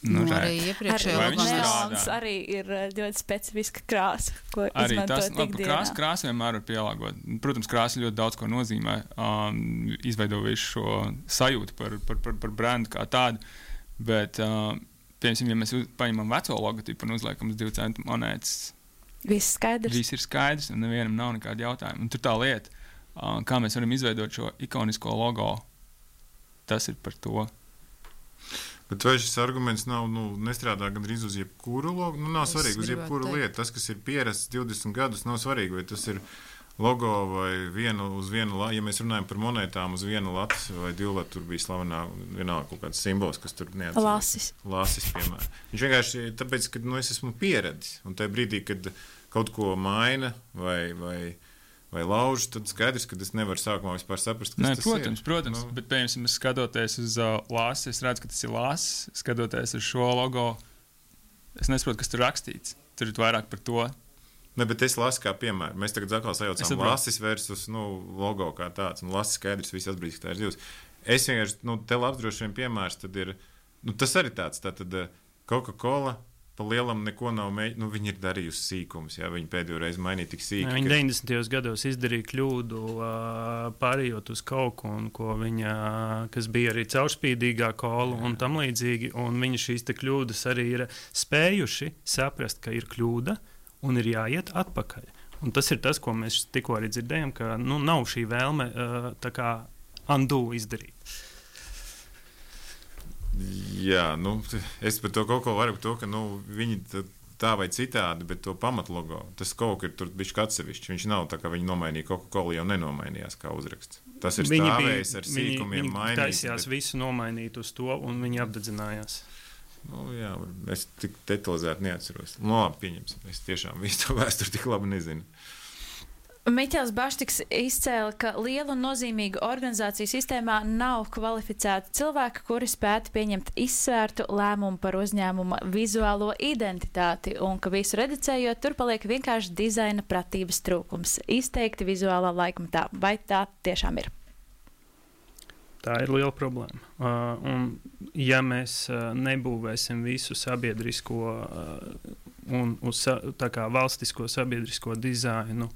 Nu, nu, arī iepriekšējā neons arī ir ļoti specifiska krāsa, ko arī izmantot tas, ikdienā. Krāsa, krāsa vienmēr var pielāgot. Protams, krāsa ļoti daudz ko nozīmē, um, izveido visu šo sajūtu par, par, par, par brandu kā tādu, bet, um, piemēram, ja mēs uz, paņemam veco logotipu un uzliekam uz divu centu monētas, viss skaidrs. Viss ir skaidrs un nevienam nav nekāda jautājuma. Un tur tā lieta, um, kā mēs varam izveidot šo ikonisko logo, tas ir par to. Bet vai šis arguments nav, nu, nestrādā gandrīz uz jebkuru logo? Nu, nav es svarīgi uz jebkuru lietu. Tas, kas ir pierasts divdesmit gadus, nav svarīgi, vai tas ir logo vai vienu uz vienu, ja mēs runājam par monētām uz vienu latu vai divu latu, tur bija slavenā vienalga kaut kāds simbols, kas tur neatceras. Lasis. Lasis, piemēram. Viņš vienkārši tāpēc, ka, nu, es esmu pieredzis, un tajā brīdī, kad kaut ko maina vai, vai vai lauž, tad skaidrs, ka es nevaru sākumā vispār saprast, kas Nē, tas protams, ir. Protams, nu. Bet, piemēram, skatoties uz uh, lāsi, es redzu, ka tas ir lāsis, skatoties uz šo logo, es nesaprotu, kas tur rakstīts. Tur ir vairāk par to. Ne, bet es lasu kā piemēru. Mēs tagad atkal sajaucām lasis versus, nu, logo kā tāds, un lasis skaidrs, viss atbrīdis, ka tā ir divas. Es vienkārši, nu, te labs droši vien piemērs, tad ir, nu, tas arī tāds, tā tad Coca-Cola, pa lielam neko nav mēģinājis. Nu, viņi ir darījusi sīkumus, jā, viņi pēdējo reizi mainīja tik sīki. Viņi ka... deviņdesmitajos gados izdarīja kļūdu, pārējot uz kaut ko, viņa, kas bija arī caurspīdīgā kola un tam līdzīgi, un viņi šīs te kļūdas arī ir spējuši saprast, ka ir kļūda un ir jāiet atpakaļ. Un tas ir tas, ko mēs tikko arī dzirdējām, ka, nu, nav šī vēlme tā kā undo izdarīt. Jā, nu, es par to kaut ko varu par to, ka, nu, viņi tā vai citādi, bet to pamatlogo, tas kaut ir tur bišķi atsevišķi. Viņš nav tā, ka viņi nomainīja Coca-Cola, jau nenomainījās kā uzraksts. Tas ir viņi stāvējis bija, ar sīkumiem viņi, mainīts. Viņi taisījās bet... visu nomainīt uz to, un viņi apdedzinājās. Nu, jā, es tik detalizēti neatceros. Nu, labi, pieņemsim. Es tiešām visu to vēsturi tik labi nezinu. Miķels Baštiks izcēla, ka liela un nozīmīga organizāciju sistēmā nav kvalificēti cilvēki, kuri spētu pieņemt izsvērtu lēmumu par uzņēmuma vizuālo identitāti, un ka visu reducējot, tur paliek vienkārši dizaina pratības trūkums, izteikti vizuālā laikmatā. Vai tā tiešām ir? Tā ir liela problēma. Uh, un, ja mēs uh, nebūvēsim visu sabiedrisko uh, un uz, tā kā valstisko sabiedrisko dizainu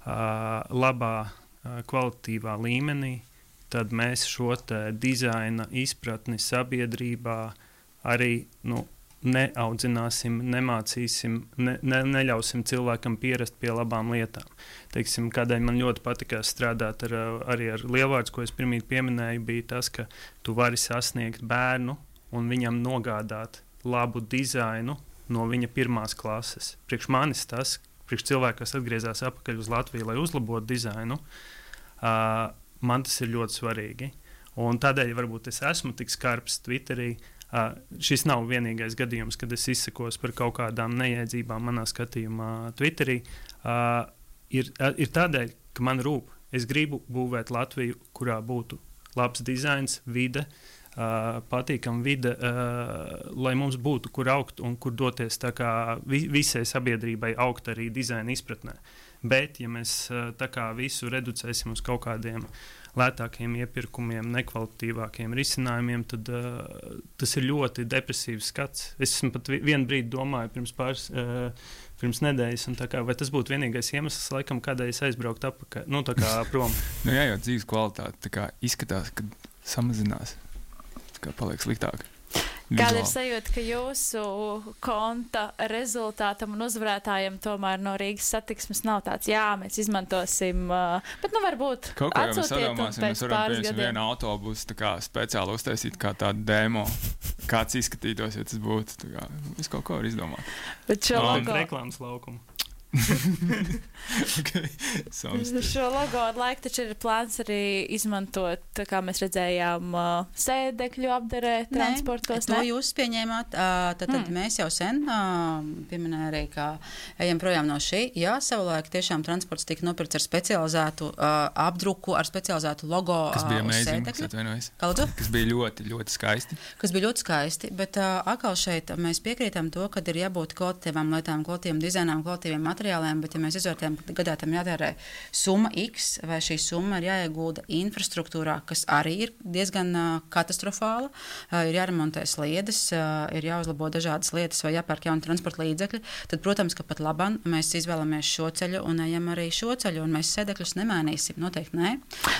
Uh, labā, uh, kvalitatīvā līmenī, tad mēs šo te dizaina izpratni sabiedrībā arī, nu, neaudzināsim, nemācīsim, ne, ne, neļausim cilvēkam pierast pie labām lietām. Teiksim, kādēļ man ļoti patikās strādāt ar, arī ar lielvārds, ko es pirmīt pieminēju, bija tas, ka tu vari sasniegt bērnu un viņam nogādāt labu dizainu no viņa pirmās klases. Priekš manis tas, priekš cilvēku, kas atgriezās atpakaļ uz Latviju, lai uzlabotu dizainu, uh, man tas ir ļoti svarīgi. Un tādēļ varbūt es esmu tik skarbs Twitterī, Uh, šis nav vienīgais gadījums, kad es izsakos par kaut kādām nejēdzībām manā skatījumā Twitterī. Uh, ir, uh, ir tādēļ, ka man rūp. Es gribu būvēt Latviju, kurā būtu labs dizains, vide, uh, patīkama vide, uh, lai mums būtu kur augt un kur doties tā kā vi- visai sabiedrībai augt arī dizaina izpratnē. Bet, ja mēs uh, tā kā visu reducēsim uz kaut kādiem lētākiem iepirkumiem, nekvalitīvākiem risinājumiem, tad uh, tas ir ļoti depresīvs skats. Es esmu pat vi- vienu brīdi domāju pirms pāris, uh, pirms nedēļas, un tā kā, vai tas būtu vienīgais iemesls, laikam, kādēļ es aizbrauktu apakaļ, nu tā kā prom. Nu jā, jo dzīves kvalitāte tā kā izskatās, ka samazinās, tā kā paliek sliktāk. Kāda ir Vizuāli. sajūta, ka jūsu konta rezultātam un uzvarētājiem tomēr no Rīgas satiksmes nav tāds, jā, mēs izmantosim, uh, bet nu varbūt Kaut kā jau mēs atsūtiet un sadomāsim, pēc mēs varam pāris pieņemt gadiem. vienu autobusu tā kā speciāli uztaisīt kā tādu demo, kāds izskatītos, ja tas būtu. Tā kā es kaut ko varu izdomāt. Bet šo Un logo, reklāmas laukumu. Okay. Samstarp. šo logo ar laiku taču ir plāns arī izmantot, tā kā mēs redzējām, uh, sēdekļu apdarē transportos, to ne? jūs pieņēmāt. Uh, tad tad Mm. mēs jau sen uh, pieminējām arī, ka ejam projām no šī. Jā, savulaik tiešām transports tika nopirkts ar specializētu uh, apdruku, ar specializētu logo. Kas bija uh, uz amazing, sēdekļa. es atvainojos. Kā lūdzu? Kas bija ļoti, ļoti skaisti. Kas bija ļoti skaisti, bet uh, atkal šeit mēs piekrītam to, ka ir jābūt kvalitatīvām lietām, kvalitīviem dizainām, kvalitīviem materiāliem, bet ja mēs izvērtējam, ka gadā tam jātērē summa X, vai šī summa ir jāiegulda infrastruktūrā, kas arī ir diezgan uh, katastrofāla, uh, ir jāremontē sliedes, uh, ir jāuzlabo dažādas lietas vai jāpērk jauni transporta līdzekļi, tad, protams, ka pat labam mēs izvēlamies šo ceļu un ejam arī šo ceļu, un mēs sēdekļus nemainīsim, noteikti nē.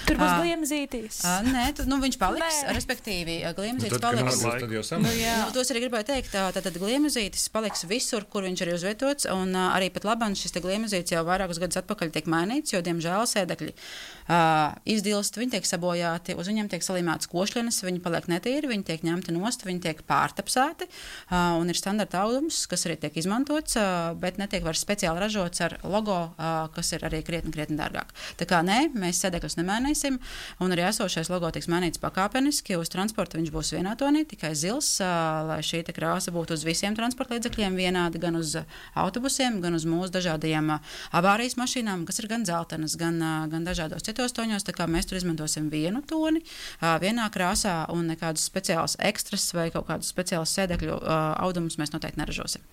Tur būs Ā, gliemezītīs. Uh, nē, tu, nu, viņš paliks, Nē. respektīvi, Nu, gliemezītis tad, kad paliks. atbilst, tad jau Nu, samērā. jā. Nu, tos arī gribēju teikt, tā, tad, tad gliemezītis paliks visur, kur viņš ir uzvietots, un uh, arī pat labam šis te gliemezītis jau vairākus gadus atpakaļ tiek mainīts, jo, diemžēl, sēdekļi uh, izdilst, viņi tiek sabojāti, uz viņiem tiek salimētas košļenes, viņi paliek netīri, viņi tiek ņemti nost, viņi tiek pārtapsēti, uh, un ir standarta audums, kas arī tiek izmantots, uh, bet netiek vairs speciāli ražots ar logo, uh, kas ir arī krietni, krietni dārgāk. Tā kā nē, mēs sēdekļus nemainīsim, un arī esošais logo tiks mainīts pakāpeniski, uz transporta viņš būs vienā tonī, tikai zils, uh, lai šī te krāsa būtu uz visiem transporta līdzekļiem vienādi, gan uz uh, autobusiem, gan uz mūsu dažādajiem uh, avārijas mašīnām, kas ir gan dzeltenas, gan, uh, gan dažādos citos toņos, tā kā mēs tur izmantosim vienu toni, uh, vienā krāsā, un nekādus speciālus ekstras vai kaut kādus speciālus sēdekļu uh, audumus mēs noteikti neražosim.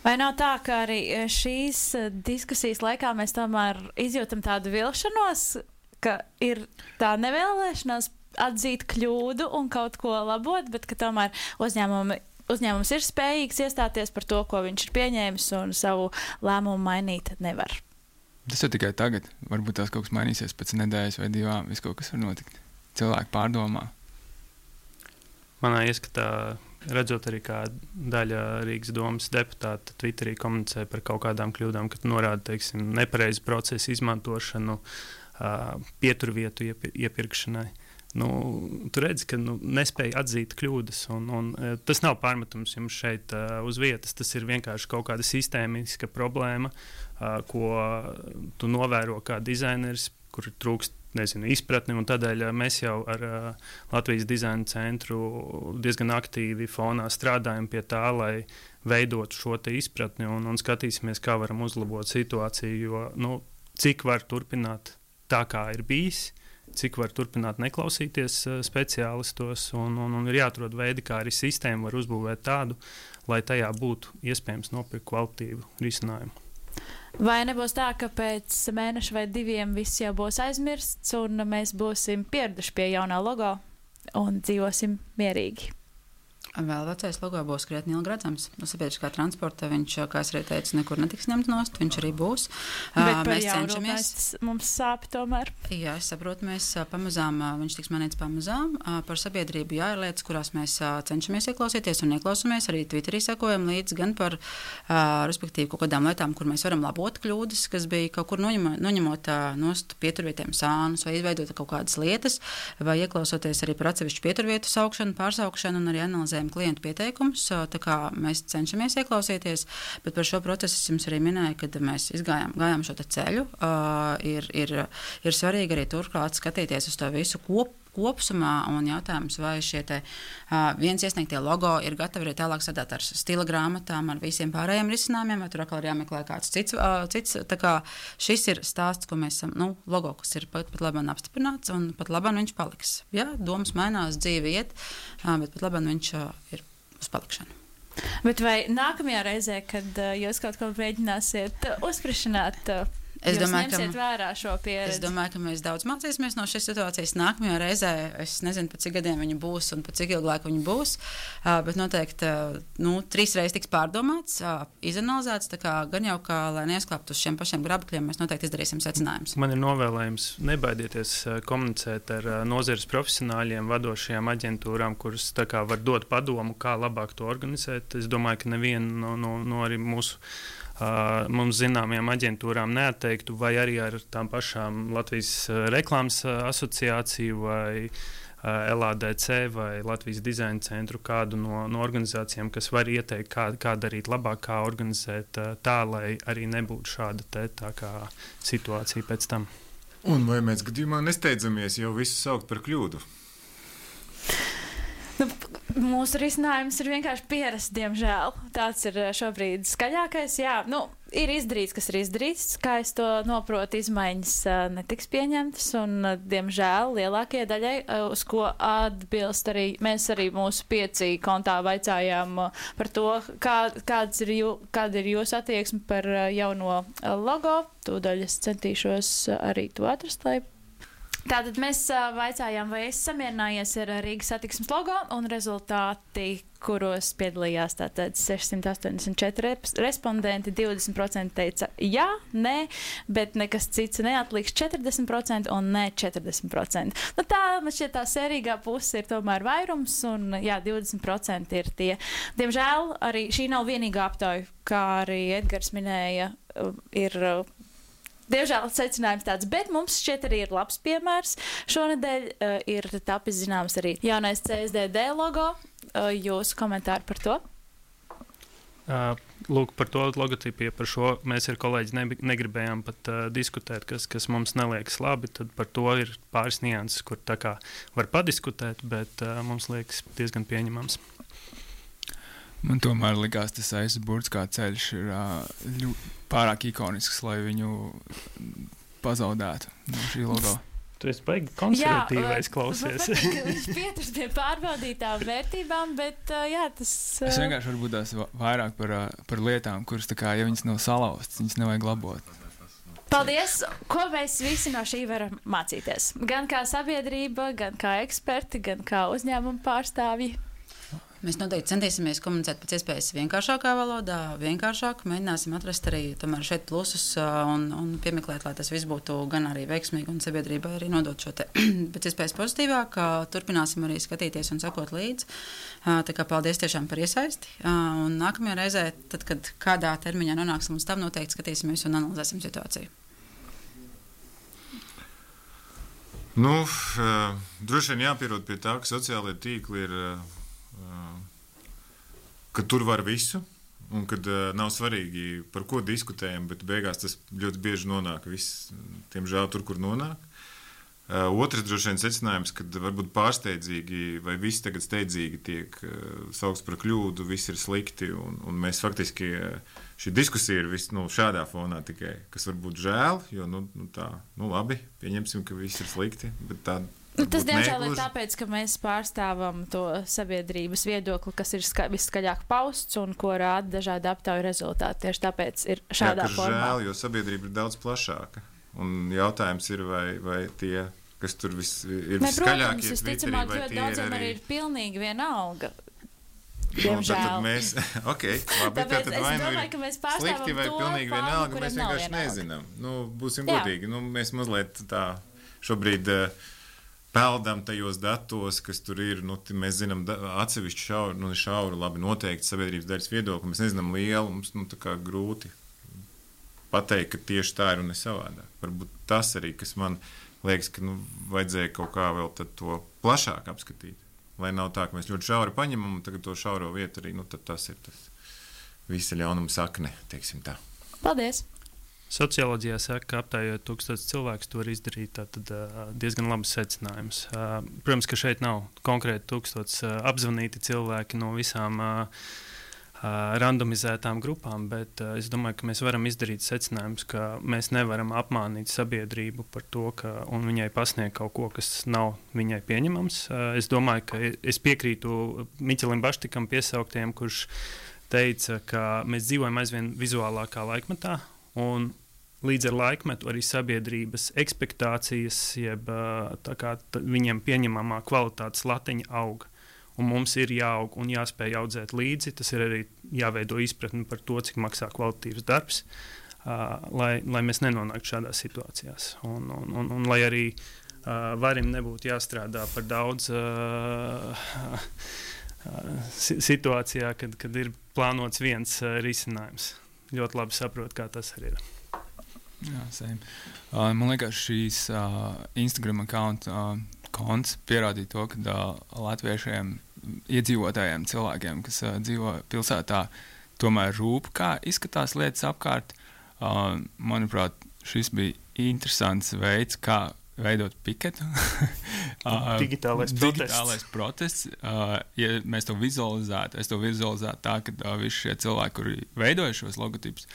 Vai nav tā, ka arī šīs eh, diskusijas laikā mēs tomēr izjūtam tādu vilšanos, ka ir tā nevēlēšanās atzīt kļūdu un kaut ko labot, bet ka tomēr uzņēmumi, uzņēmums ir spējīgs iestāties par to, ko viņš ir pieņēmis, un savu lēmumu mainīt nevar? Tas jau tikai tagad. Varbūt tās kaut kas mainīsies pēc nedēļas vai divām. Viss kaut kas var notikt. Cilvēki pārdomā. Manā ieskatā, redzot arī, kā daļa Rīgas domas deputāta Twitterī komunicē par kaut kādām kļūdām, kad norāda, teiksim, nepareizu procesu izmantošanu, uh, pieturvietu iepi iepirkšanai. Nu, tu redzi, ka nu, nespēja atzīt kļūdas, un, un tas nav pārmetums jums šeit uh, uz vietas. Tas ir vienkārši kaut kāda sistēmiska problēma, uh, ko tu novēro kā dizaineris, kur trūkst, nezinu, izpratni, un tādēļ uh, mēs jau ar uh, Latvijas dizaina centru diezgan aktīvi fonā strādājam pie tā, lai veidotu šo te izpratni, un, un skatīsimies, kā varam uzlabot situāciju, jo, nu, cik var turpināt tā, kā ir bijis, cik var turpināt neklausīties uh, speciālistos, un, un, un ir jāatrod veidi, kā arī sistēmu var uzbūvēt tādu, lai tajā būtu iespējams nopirkt kvalitīvu risinājumu. Vai nebūs tā, ka pēc mēneša vai diviem viss jau būs aizmirsts, un mēs būsim pieraduši pie jaunā logo un dzīvosim mierīgi? Vēl vecais logo būs krietni ilgi redzams. No sabiedriskā transporta viņš, kā es arī teicu, nekur netiks ņemts nost, viņš arī būs. Bet par Mēs jaunu cenšamies. mēs- mums sāp tomēr. Jā, es saprotu, mēs ā, pamazām, ā, viņš tiks manīts pamazām. Ā, Par sabiedrību jā, ir lietas, kurās mēs ā, cenšamies ieklausīties un ieklausāmies. Arī Twitterī sekojam līdzi gan par, ā, respektīvi, kaut kādām lietām, kur mēs varam labot kļūdas, kas bija kaut kur noņemot, noņemot ā, nost pieturvietiem sānus vai izveidot kaut kādas lietas, vai ieklausoties arī par atsevišķu pieturvietu saukšanu, pārsaukšanu un arī analizējumu klientu pieteikumus. Tā kā mēs cenšamies ieklausīties, bet par šo procesu es jums arī minēju, kad mēs izgājām gājām šo te ceļu. Uh, ir, ir, ir svarīgi arī turklāt skatīties uz to visu kop, kopsumā, un jautājums, vai šie te, uh, viens iesniegtie logo ir gatavi arī tālāk sadāt ar stila grāmatām, ar visiem pārējiem risinājumiem, vai tur atkal ir jāmeklē kāds cits. Uh, cits tā kā šis ir stāsts, ko mēs esam, nu, logo, kas ir pat, pat labāk apstiprināts, un pat labāk viņš paliks. Jā, domas mainās, dzīve iet, uh, bet pat labāk viņš uh, ir uz palikšanu. Bet vai nākamajā reizē, kad uh, jūs kaut ko mēģināsiet uh, uzsprišanāt, uh, Es jūs domāju, ņemsiet ka, vērā šo pieredzi? es domāju, ka mēs daudz mācīsimies no šīs situācijas. Nākamajā reizē es nezinu, pa cik gadiem viņi būs un pa cik ilgu laiku viņi būs, uh, bet noteikti uh, nu, trīs reizes tiks pārdomāts, uh, izanalizēts, tā kā gan jau, kā, lai neizklāptu uz šiem pašiem grabakļiem, mēs noteikti izdarīsim secinājumus. Man ir novēlējums nebaidieties uh, komunicēt ar uh, nozares profesionāļiem, vadošajām aģentūrām, kuras tā kā var dot padomu, kā labāk to organizēt. Es domāju, ka neviena no, no, no arī mūsu Uh, mums zināmajām aģentūrām neatteiktu, vai arī ar tām pašām Latvijas uh, reklāmas uh, asociāciju vai uh, L A D C vai Latvijas dizaina centru kādu no, no organizācijām, kas var ieteikt, kā, kā darīt labāk, kā organizēt uh, tā, lai arī nebūtu šāda te, tā kā situācija pēc tam. Un vai mēs gadījumā nesteidzamies jau visu saukt par kļūdu? Nu, mūsu risinājums ir vienkārši pierast, diemžēl. Tāds ir šobrīd skaļākais. Jā, nu, ir izdarīts, kas ir izdarīts. Kā es to noprotu, izmaiņas netiks pieņemtas. Un, diemžēl, lielākajai daļai, uz ko atbilst arī mēs arī mūsu pieci kontā vaicājām par to, kā, kāds ir jū, kāda ir jūsu attieksme par jauno logo. Tūdaļ es centīšos arī to atrast, lai Tātad mēs uh, vaicājām, vai esi samierinājies ar Rīgas satiksmes logo, un rezultāti, kuros piedalījās tātad sešsimt astoņdesmit četri respondenti, divdesmit procenti teica jā, nē, bet nekas cits neatliks četrdesmit procenti un nē četrdesmit procenti. Nu, tā, man šķiet, tā sērīgā puse ir tomēr vairums, un jā, divdesmit procenti ir tie. Diemžēl arī šī nav vienīgā aptauja, kā arī Edgars minēja, ir Diemžēl secinājums tāds, bet mums šķiet arī ir labs piemērs. Šonedēļ uh, ir tapis zināms arī jaunais C S D D logo. Uh, jūsu komentāri par to? Uh, lūk, par to logotipiju, par šo mēs ar kolēģi ne, negribējām pat uh, diskutēt, kas, kas mums neliekas labi. Tad par to ir pāris nianses, kur tā kā var padiskutēt, bet uh, mums liekas diezgan pieņemams. Man tomēr likās, tas aizburts kā ceļš ir ļu, pārāk ikonisks, lai viņu pazaudētu no šī logo. Tu esi baigi konservatīvais klausies. Jā, viņš pieturas pie pārbaudītām vērtībām, bet jā, tas... Es vienkārši varbūt tās vairāk par, par lietām, kuras tā kā, ja viņas nav salauztas, viņas nevajag labot. Paldies! Ko mēs visi no šī varam mācīties? Gan kā sabiedrība, gan kā eksperti, gan kā uzņēmuma pārstāvji. Mēs noteikti centīsimies komunicēt pēc iespējas vienkāršākā valodā, vienkāršāk, mēģināsim atrast arī tomēr šeit plusus un, un piemeklēt, lai tas viss būtu gan arī veiksmīgi un sabiedrībai arī nodot šo te pēc iespējas pozitīvāk. Turpināsim arī skatīties un sekot līdzi. Tā kā paldies tiešām par iesaisti. Un nākamajā reizē, tad, kad kādā termiņā nonāksim līdz tam, noteikti skatīsimies un analizēsim situāciju. Nu, droši vien jāpierod pie tā, ka sociālajie tīkli ir ka tur var visu, un kad uh, nav svarīgi, par ko diskutējam, bet beigās tas ļoti bieži nonāk viss, tiemžēl tur, kur nonāk. Uh, otrs droši vien secinājums, kad varbūt pārsteidzīgi vai viss tagad steidzīgi tiek uh, saukts par kļūdu, viss ir slikti, un, un mēs faktiski uh, šī diskusija ir viss nu, šādā fonā tikai, kas varbūt žēl, jo nu, nu tā, nu labi, pieņemsim, ka viss ir slikti, bet tā Nu, tas, diemžēl, ir tāpēc, ka mēs pārstāvam to sabiedrības viedokli, kas ir ska viskaļāk pausts un ko rāda dažādi aptauju rezultāti. Tieši tāpēc ir šādā Jā, formā. Žēl, jo sabiedrība ir daudz plašāka. Un jautājums ir, vai, vai tie, kas tur vis, ir ne, viskaļākie Twitterī, vai tie tie daudziem ir arī ir pilnīgi vienalga. Diemžēl. Nu, tad mēs, ok, labi, Tāpēc tad es vai nu domāju, ka mēs pārstāvam slikti vai to pilnīgi fanu, vienalga, kuram mēs nav vienkārši vienalga. nezinām. Nu, būsim Jā. godīgi. Nu, mēs mazliet tā šobrīd uh, peldam tajos datos, kas tur ir. Nu, mēs zinām atsevišķu šauru, nu, šauru, labi, noteikti sabiedrības daļas viedokli. Mēs nezinām lielu, mums nu, tā kā grūti pateikt, ka tieši tā ir un ne savādāk. Varbūt tas arī, kas man liekas, ka nu, vajadzēja kaut kā vēl to plašāk apskatīt. Lai nav tā, ka mēs ļoti šauri paņemam un tagad to šauro vietu arī, nu, tad tas ir tas visa ļaunuma sakne, teiksim tā. Paldies! Socioloģijā saka, ka aptājot tūkstotis cilvēkus, to var izdarīt tātad, diezgan labus secinājumus. Protams, ka šeit nav konkrēti tūkstotis apzvanīti cilvēki no visām randomizētām grupām, bet es domāju, ka mēs varam izdarīt secinājumus, ka mēs nevaram apmānīt sabiedrību par to, ka, un viņai pasniegt kaut ko, kas nav viņai pieņemams. Es domāju, ka es piekrītu Miķelim Baštikam piesauktiem, kurš teica, ka mēs dzīvojam aizvien vizuālākā laikmetā, un līdz ar laikmetu arī sabiedrības ekspektācijas, jeb tā kā t- viņiem pieņemamā kvalitātes latiņa aug. Un mums ir jāaug un jāspēj audzēt līdzi. Tas ir arī jāveido izpratni par to, cik maksā kvalitatīvs darbs, uh, lai, lai mēs nenonāktu šādās situācijās. Un, un, un, un lai arī uh, varim nebūtu jāstrādā par daudz uh, uh, situācijā, kad, kad ir plānots viens uh, risinājums. Ļoti labi saprotu, kā tas arī ir. Jā, same. Uh, man liekas, šīs uh, Instagram account uh, konts pierādīja to, ka uh, latviešiem, iedzīvotājiem, cilvēkiem, kas uh, dzīvo pilsētā, tomēr rūp, kā izskatās lietas apkārt. Uh, manuprāt, šis bija interesants veids, kā veidot piketu. uh, digitālais protests. Digitālais protests. Uh, ja mēs to vizualizētu, es to vizualizētu tā, ka uh, visi šie cilvēki, kuri veidoja šos logotipus,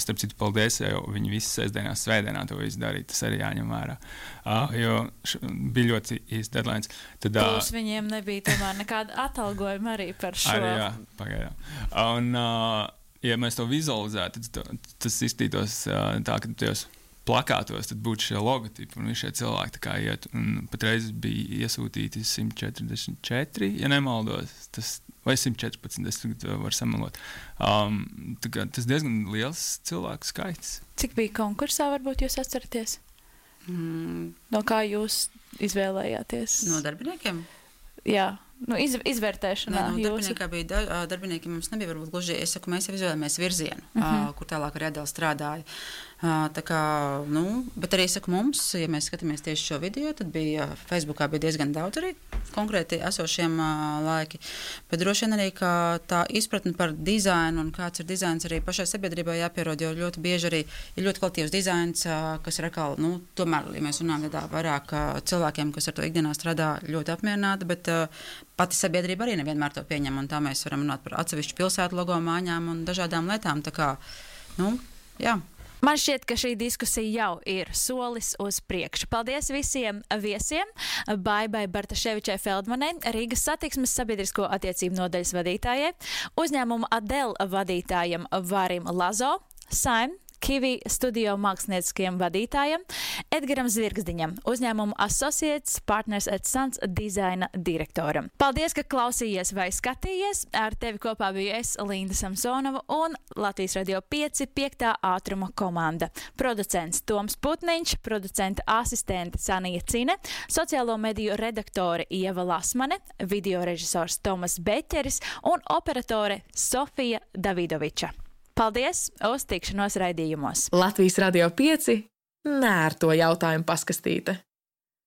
starp citu, paldies, jo viņi visi sestdienās, svētdienā to visu darīja, tas arī jāņem vērā. Uh, jo š, bija ļoti īsts deadlines. Tad, uh, Plus viņiem nebija tomēr nekāda atalgojuma arī par šo. Arī, jā, pagaidām. Un, uh, ja mēs to vizualizētu, tad tas izstītos uh, tā, ka tajos plakātos tad būtu šie logotipi un visi šie cilvēki tā kā iet. Un patreiz bija iesūtīti simt četrdesmit četri, ja nemaldos, tas, vai simt četrpadsmit, es varu samalot. Um, tā kā tas diezgan liels cilvēku skaits. Cik bija konkursā, varbūt jūs atceraties? Mm. No kā jūs izvēlējāties? No darbiniekiem? Jā. Nu, iz, izvērtēšanā. Nē, no jūsu... darbiniekā bija da, darbinieki mums nebija varbūt gluži, es saku, mēs jau izvēlējāmies virzienu, uh Mhm. -huh. kur tālāk arī Adela strādāja. Uh, tā kā, nu, bet arī, saku, mums, ja mēs skatāmies tieši šo video, tad bija, Facebookā bija diezgan daudz arī konkrēti esošiem uh, laiki, bet droši vien arī, ka tā izpratne par dizainu un kāds ir dizains arī pašai sabiedrībai jāpierod, jo ļoti bieži arī ir ļoti kvalitīvs dizains, uh, kas ir atkal, nu, tomēr, ja mēs runājam tādā vairāk uh, cilvēkiem, kas ar to ikdienā strādā ļoti apmierināti, bet uh, pati sabiedrība arī nevienmēr to pieņem, un tā mēs varam runāt par atsevišķu pilsētu logo māņām un dažādām lietām, tā kā, nu, jā. Man šķiet, ka šī diskusija jau ir solis uz priekšu. Paldies visiem viesiem. Baibai Bartaševičai Feldmanai, Rīgas satiksmes sabiedrisko attiecību nodaļas vadītājai, uzņēmuma Adel vadītājam Varim Lazo, Saim, Kivi studio mākslinieckiem vadītājam, Edgaram Zvirgzdiņam, uzņēmuma Associates Partners at Sons dizaina direktoram. Paldies, ka klausījies vai skatījies. Ar tevi kopā biju es, Linda Samsonova, un Latvijas Radio pieci piektā ātruma komanda. Producents Toms Putniņš, producenta asistente Sanija Cine, sociālo mediju redaktore Ieva Lasmane, video režisors Tomas Beķeris un operatore Sofija Davidoviča. Paldies, uz tikšanos raidījumos. Latvijas Radio pieci nērto jautājumu paskastīte.